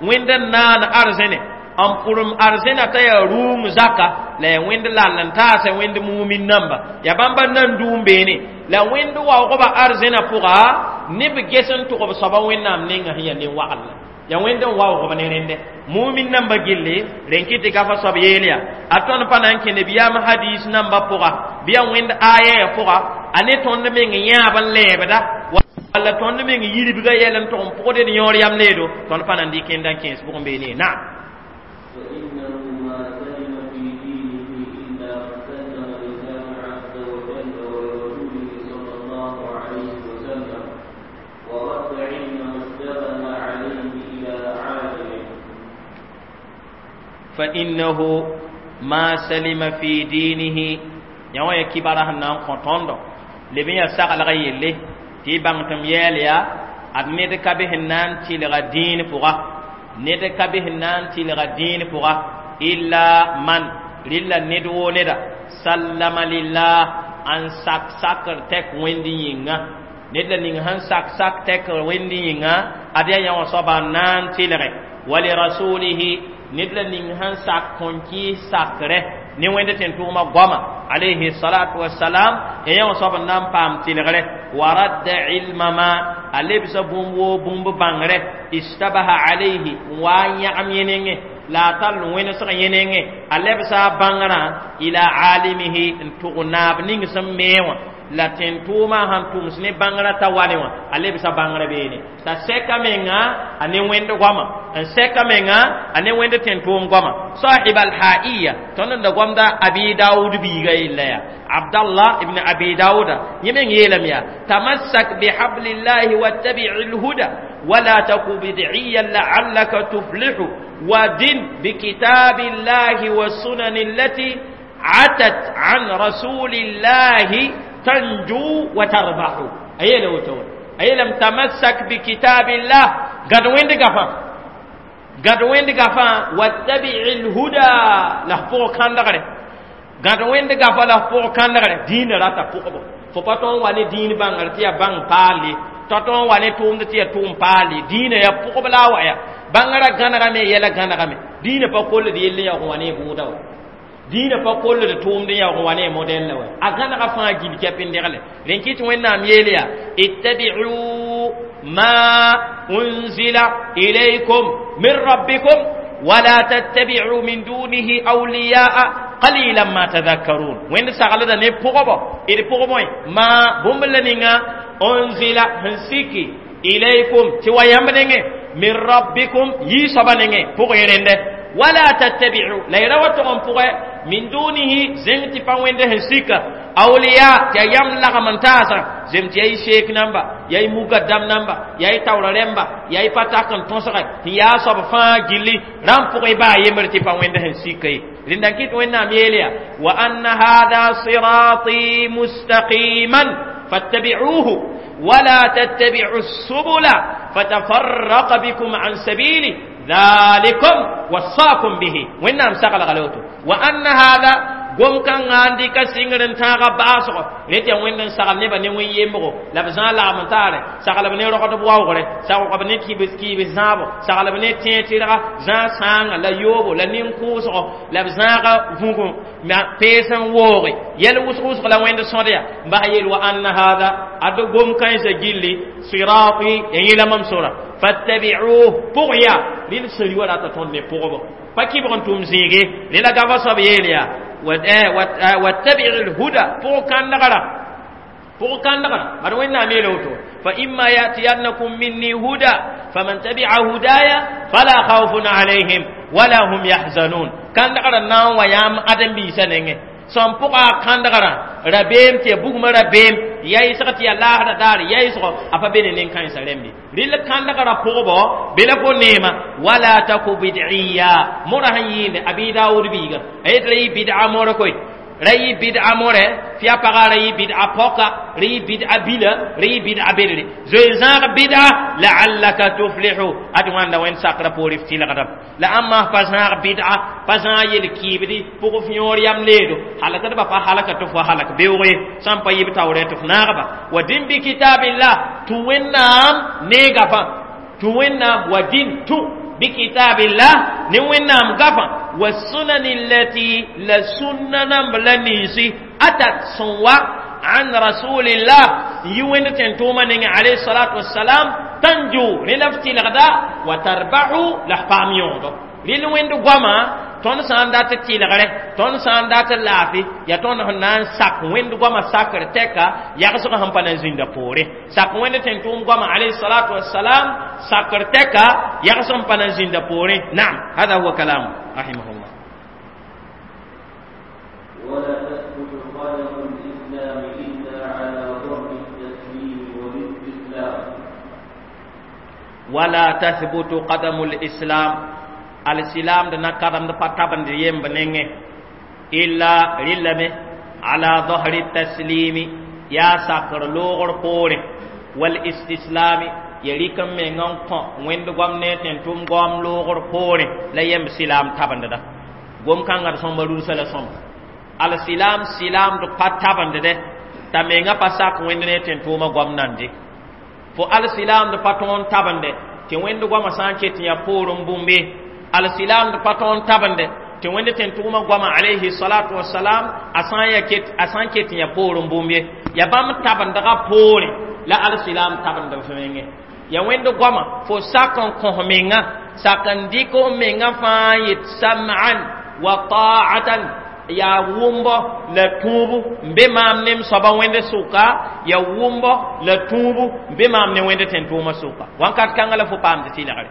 Wẽnd n naan arzẽne n pʋrem arzẽna t'a yaa rũum zaka la yaa Wẽnd lall n taasã Wẽnd mumin namba yaa bãmba nan dũum beene la Wẽnd waoogba arzẽna pʋga neb ges n tʋg b soaba Wẽnnaam nengã sẽn yaa nin-wagl la yaa Wẽnd n waoogb ne rẽndɛ mumin namba gilli rẽn kɩ tɩ gafa soab yeel yaa a tõnd pa na n kẽ nabiyaam hadis namba pʋga bɩ yaa Wẽnd aya pʋga a ne tõnd meng yãab n lɛɛbda walla tõnd meng yiribga yɛl n tʋg n pʋgd d yõor yam leedo tõnd pa na n dɩk n kẽes pʋgẽ beene. Naam. فإنه ما سلم في دينه إلا سلم لله عز وجل ولرسوله صلى الله عليه وسلم ورد علم ما اشتبه عليه إلى عالمه. فإنه ما سلم في دينه yã wã ya kibara sẽn na n kõ tõndo leb n yaa saglga yelle tɩ y bãng tɩ m yɛɛl yaa ad ned ka be sẽn na n tɩlga dĩin pʋga, ned ka be sẽn na n tɩlga dĩin pʋga illa man rɩlla ned woo neda sallama lillah n sak sakr tɛk Wẽnd yĩnga ned la ning sẽn sak sak tɛk Wẽnd yĩnga ad yaa yã wã soaba n na n tɩlge wa lirasulihi ned la ning sẽn sak kõn-kɩɩs sakrɛ ne Wẽnd tẽn-tʋʋma goama alayhi salatu wassalam ya yã wã soab n na n paam tɩlgre. Wa radda ilma ma a lebsa bũmb woo bũmb bãngre istabaha alayhi n wa n yãgem yẽ nengẽ la a tall wẽnesg yẽ nengẽ a lebsa a bãngrã ila alimihi n tʋg naab ning sẽn mee wã la tẽn-tʋʋmã sãn tʋms ne bãngrã t'a wa ne wã a lebsa bãngrã beene t'a sɛka menga a ne wẽnd goama n sɛka menga a ne wẽnd tẽn-tʋʋm goama sahib alhaiya tõnd n da gomda Abi Daoud biiga yella yaa Abdallah ibn Abi Daouda yẽ meng yeelame yaa tamassak bihablillahi wattabi'i lhuda wala taku bid'iyan la'allaka tuflihu ودن بكتاب الله والسنن التي عتت عن رسول الله تنجو وتربح. أي لو تقول أي لم تمسك بكتاب الله قد وين دقفا قد وين دقفا واتبع الهدى له فوق كان دغري قد وين دقفا له فوق كان دغري دين راتا فوق فباتون واني دين بانغر تيا بان بالي تاتون واني توم تيا توم بالي دين يا فوق بلا ويا bãngrã gãnegame yɛla gãnegame dĩinã pa koll d yell n yaoog n wa ne bʋʋda wa dĩinã pa koll d tʋʋmd n yaoog n wa ne modɛl la wa a gãnega fãa gil kɛp n degle rẽn kɩt Wẽnnaam yeel yaa ittabi'u ma unzila ilaykum min rabbikum wala tattabi'u min dunihi awliya'a qalilan ma tadhakkarun wẽnd saglda ne pʋgbo d pʋgẽ ma bũmb la ninga unzila sẽn siki ilaykum tɩ wa yãmb nengẽ من ربكم يسبا نغي بوغيرند ولا تتبعوا لا يروا تقوم بوغ من دونه زنتي با وند هسيكا اولياء تي يام لا من تاسا زمتي اي شيخ نمبا ياي مقدم نمبا ياي تاورارemba ياي patakan tonsaka ya sob fa gilli ram بوغ با يمرتي با وند هسيكا لندن كيت وين ميليا وان هذا صراطي مستقيما فاتبعوه ولا تتبعوا السبل فتفرق بكم عن سبيله ذلكم وصاكم به. وإنهم سقل غلوته وأن هذا قم كان عندي كسينغرن تاغا باسو نتي وين سقل نبا ني وين يمبو لا بزان لا منتار سقل بني رقد بواغره سقل بني كيبس كيبس زابو سقل بني تيتيرا زان سان لا يوبو لا نينكوسو لا بزان فونكو ما بيسن ووري يل وس وس لا وين سوديا با يل وان هذا ادو قم كان سجيلي صراطي يلا ممسورا فاتبعوه بغيا للسري ولا تتون بغبو فكيبرن توم زيغي للا غافا صبيليا واتبع الهدى فوق النغرة فوق النغرة مروينا ميلوتو فإما يأتينكم مني هدى فمن تبع هدايا فلا خوف عليهم ولا هم يحزنون كان نغرة ناو ويام أدم بيسانين سام بقى كان نغرة ربيم تي بوغم ربيم ياي سقط يا الله دار ياي سقط أفا بينين كان سلمبي ريل كان نغرة فوقبو بلا نيمة ولا تكو بدعية مرهين أبي داود بيغا أي تري بدعة مركوي رأي بدعة مره فيا بقى رأي بدعة بقى رأي بدعة بلا رأي بدعة بلا زوجان بدعة لعلك تفلح أدوان لوين ساقرا بوريف تيلا قدم لا أما فزان بدعة فزان يلكيبدي بوفيور يام ليدو حلقة بابا حلقة تفوا حلقة بيوغي سامبا يبتاوري تفناغبا ودين بكتاب الله توينام نيغافا توينام ودين تو بكتاب الله نوينام غفا والسنن التي لسنن بلنيسي أتت سنوا عن رسول الله يوين تنتوما عليه الصلاة والسلام تنجو لنفتي الغداء وتربح لحفام يوضو للوين دو tõnd sã n dat tɩlgre tõnd sã n dat laafɩ yaa tõnd sẽn na n sak wẽnd goamã sakr tɛka yagsg sẽn pa na n zĩnda poore sak wẽnd tẽn-tʋʋm goamã alayhi salatu wassalam sakr tɛka yagsg sẽn pa na n zĩnda poore naam hada huwa kalamu rahimahullah. ولا تثبت قدم الإسلام إلا على ظهر التسليم والاستسلام. ولا تثبت قدم الإسلام الإسلام دنا قدم د پتابن د يم بننګ إلا رلمه على ظهر التسليم يا ساكر لوغر پوري والاستسلام يليكم منغون كون ويند غوم نتن توم غوم لوغر پوري لا يم سلام تابن دا غوم كانغار سوم رسول سوم الإسلام سلام د پتابن د ta menga pasak wẽnd ne tẽn tʋʋmã goam nande fo al-silam d pa tõon tabende tɩ wẽnd goamã sã n ket tɩ yaa poorẽ bũmbe al-silam d pa tõon tabende tɩ wẽnd tẽn tʋʋmã goamã alayhi salatu wasalam a sã n ket tɩ yaa poorẽ bũmbe Ya bãmb tabendga poorẽ la alsilam tabend f menge. Ya wẽnd goama fo sak n kõs menga, sak n dɩk f menga fãa n yet sam'an wa ta'atan, ya wʋmbo la tũubu n be maam ne m soaba wẽnd sʋka, ya wʋmbo la tũubu n be maam ne wẽnd tẽn-tʋʋmã sʋka. Wãnkat kãngã la fo paamd tɩlgre.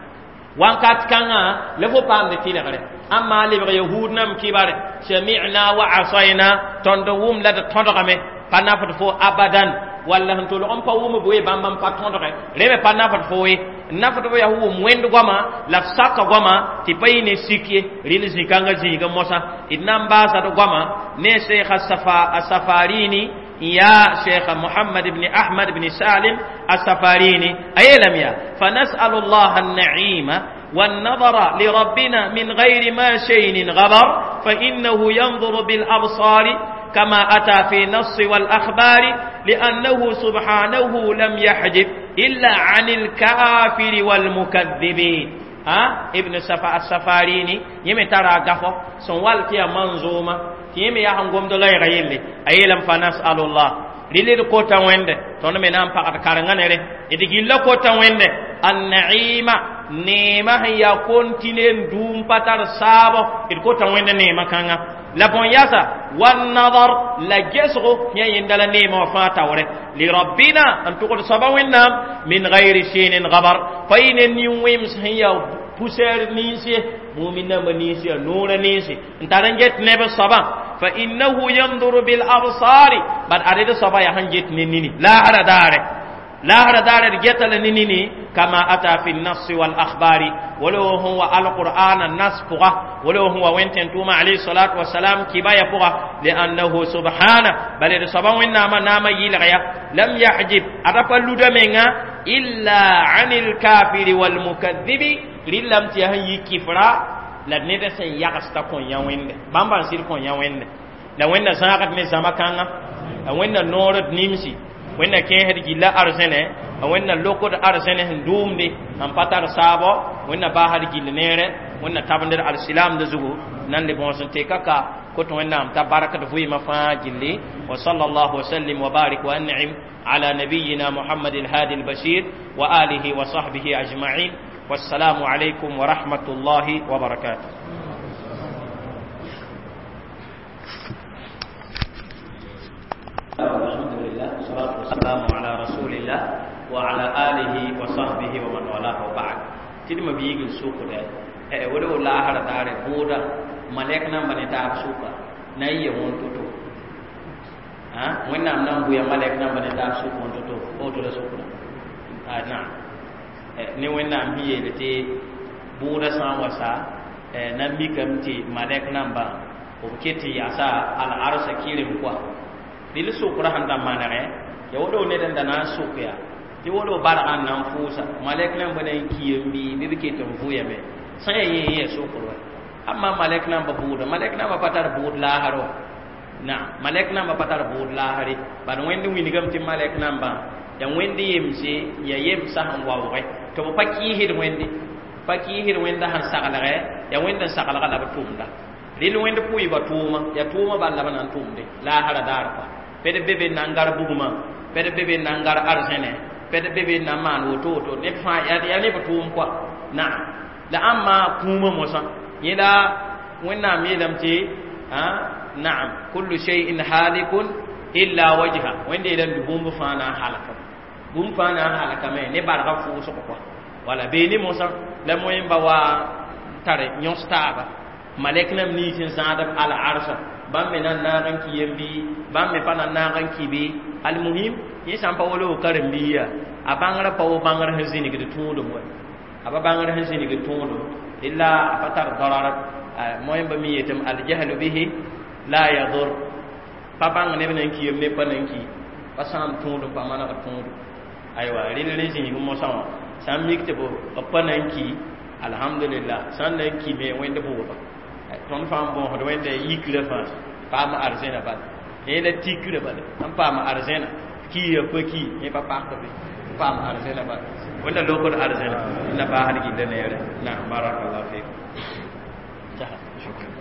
Wãnkat kãngã la fo paamd tɩlgre. Amma lebg yahud nam kibare sami'na wa asayna, tõnd wʋm la d tõdgame, pa nafd fo abadan. Walla sẽn tolg n pa wʋm b we bãmb n pa tõdge, rẽ me pa nafd fo ye. Nafd fo yaa wʋm wẽnd goama la f saka goama tɩ pa yɩ ne sik ye. Rɩl zĩ-kãngã zĩigã mosã d na n baasa d goama ne Sheikh Asafarini, ya Sheikh Muhammad ibn Ahmad ibn Salim Asafarini ayelam ya fa nas'alu Allah an-na'ima والنظر لربنا من غير ما شيء غبر، فإنه ينظر بالأبصار كما أتى في نص والأخبار، لأنه سبحانه لم يحجب إلا عن الكافر والمكذبين. ها ابن السفاريني يمي ترى غفو سنوال تيا منظومة يمي يا هنغوم دلاي غيلي أيلم فنسأل الله للي كوتا ويند تون من أم فقط كارنغانيري إدي كوتا ويند النعيمة نيمة يا كونتينين دوم باتر سابو إدي كوتا ويند نيمة كانغا la bon yasa wan nadar la gesgo ya yindala nema fata wore li rabbina an tuqul sabawinna min ghairi shinin ghabar fa in niwim hiya poussière ninsi mu'minna manisi nura ninsi ntaran get nebe saba fa innahu yanzuru bil absari bad arida saba ya hanjet nini la hara dare لا هذا دار جتل نيني كما أتى في النص والأخبار ولو هو القرآن النص فقه ولو هو وينتن توما عليه الصلاة والسلام كباية فقه لأنه سبحانه بل سبحانه نام نام يلغيا لم يحجب أرفع لدمنا إلا عن الكافر والمكذب لم تهي كفرا لا ندس يغستا كون يوين بامبان سير كون يوين لا وين زاغت نزامكانا وين نور نيمسي wẽnna kẽesd gilla arzẽne, wẽnna lokd arzẽne sẽn dʋʋmde n pa tar saabo, wẽnna baasd gill neere, wẽnna tabendr alsilamd zugu nan le bõos n teka ka kot wẽnnaam t'a barkd vɩɩmã fãa gilli. Wa sallallahu wa sallim wa barik wa an'im ala nabiyina Muhammad al-hadi al-bashir wa alihi wa sahbihi ajma'in. Wassalamu alaykum wa rahmatullahi wa barakatuh. والسلام على رسول الله وعلى آله وصحبه ومن والاه وبعد. تدم بيجي السوق ده ولو لا هذا دار بودا ملكنا من دار سوق ناي يوم توتو ها وين نام نام بويا ملكنا من دار سوق وين توتو أو تولا سوق ده نعم ni وين نام هي التي بودا سان وسا نامي كم تي ملكنا با وكتي ياسا على عرش كيرم كوا dil sukra handa manare ya wodo ne dan dana sukya ti wodo bar an nan fusa malek nan bana kiyembi bi bi ke ton fuya me sai ye ye sukro amma malek nan ba buda malek nan ba patar bud la haro na malek nan ba patar bud la hari ban wendi winigam ti malek nan ba ya wendi yemse ya yemsa han wawre to pa ki hid wendi pa ki hid wenda han sagalare ya wenda sagalare la ba tumda lil wenda puyi ba tuma ya tuma ba la ban tumde la hara dar pa pede bebe nangar buguma pede bebe nangar arsene pede bebe na man woto woto ne fa ya ne batum kwa na la amma kuma mosa yela wenna mi lamti ha na'am kullu shay'in halikun illa wajha wende idan bumbu fa na halaka bum fa na halaka me ne barga fu so kwa wala be ni mosa la moyen ba wa tare nyosta ba malek nam ni tin zaadab al arsa bam me nan naagan ki yembi bam me pa nan naagan ki bi al muhim yẽ sã n pa wolo karen-biiga a bãngrã pa wo bãngr sẽn zĩnigd tõodum wa a pa bãngr sẽn zĩnigd tõodum illa a pa tar darara moẽmba mi yetame aljahlu bihi la yadur pa bãng neb nan ki yem neb pa nan ki pa sãam tõodum pa manegd tõodum aywa rel rẽ zĩnig mosã wã sã n mik tɩ b pa nan ki alhamdulillah sã n nan ki me wẽnd bʋʋba tõnd fãa n bõosd wẽnda yikrã fãa paam arzẽna bala yẽ la tikrã bala n paam arzẽna kiya pa ki yẽ pa pakd be paam arzẽna bala wẽnda lokd arzẽna na baasd gilla neere na barakallahu fikum. Shukran.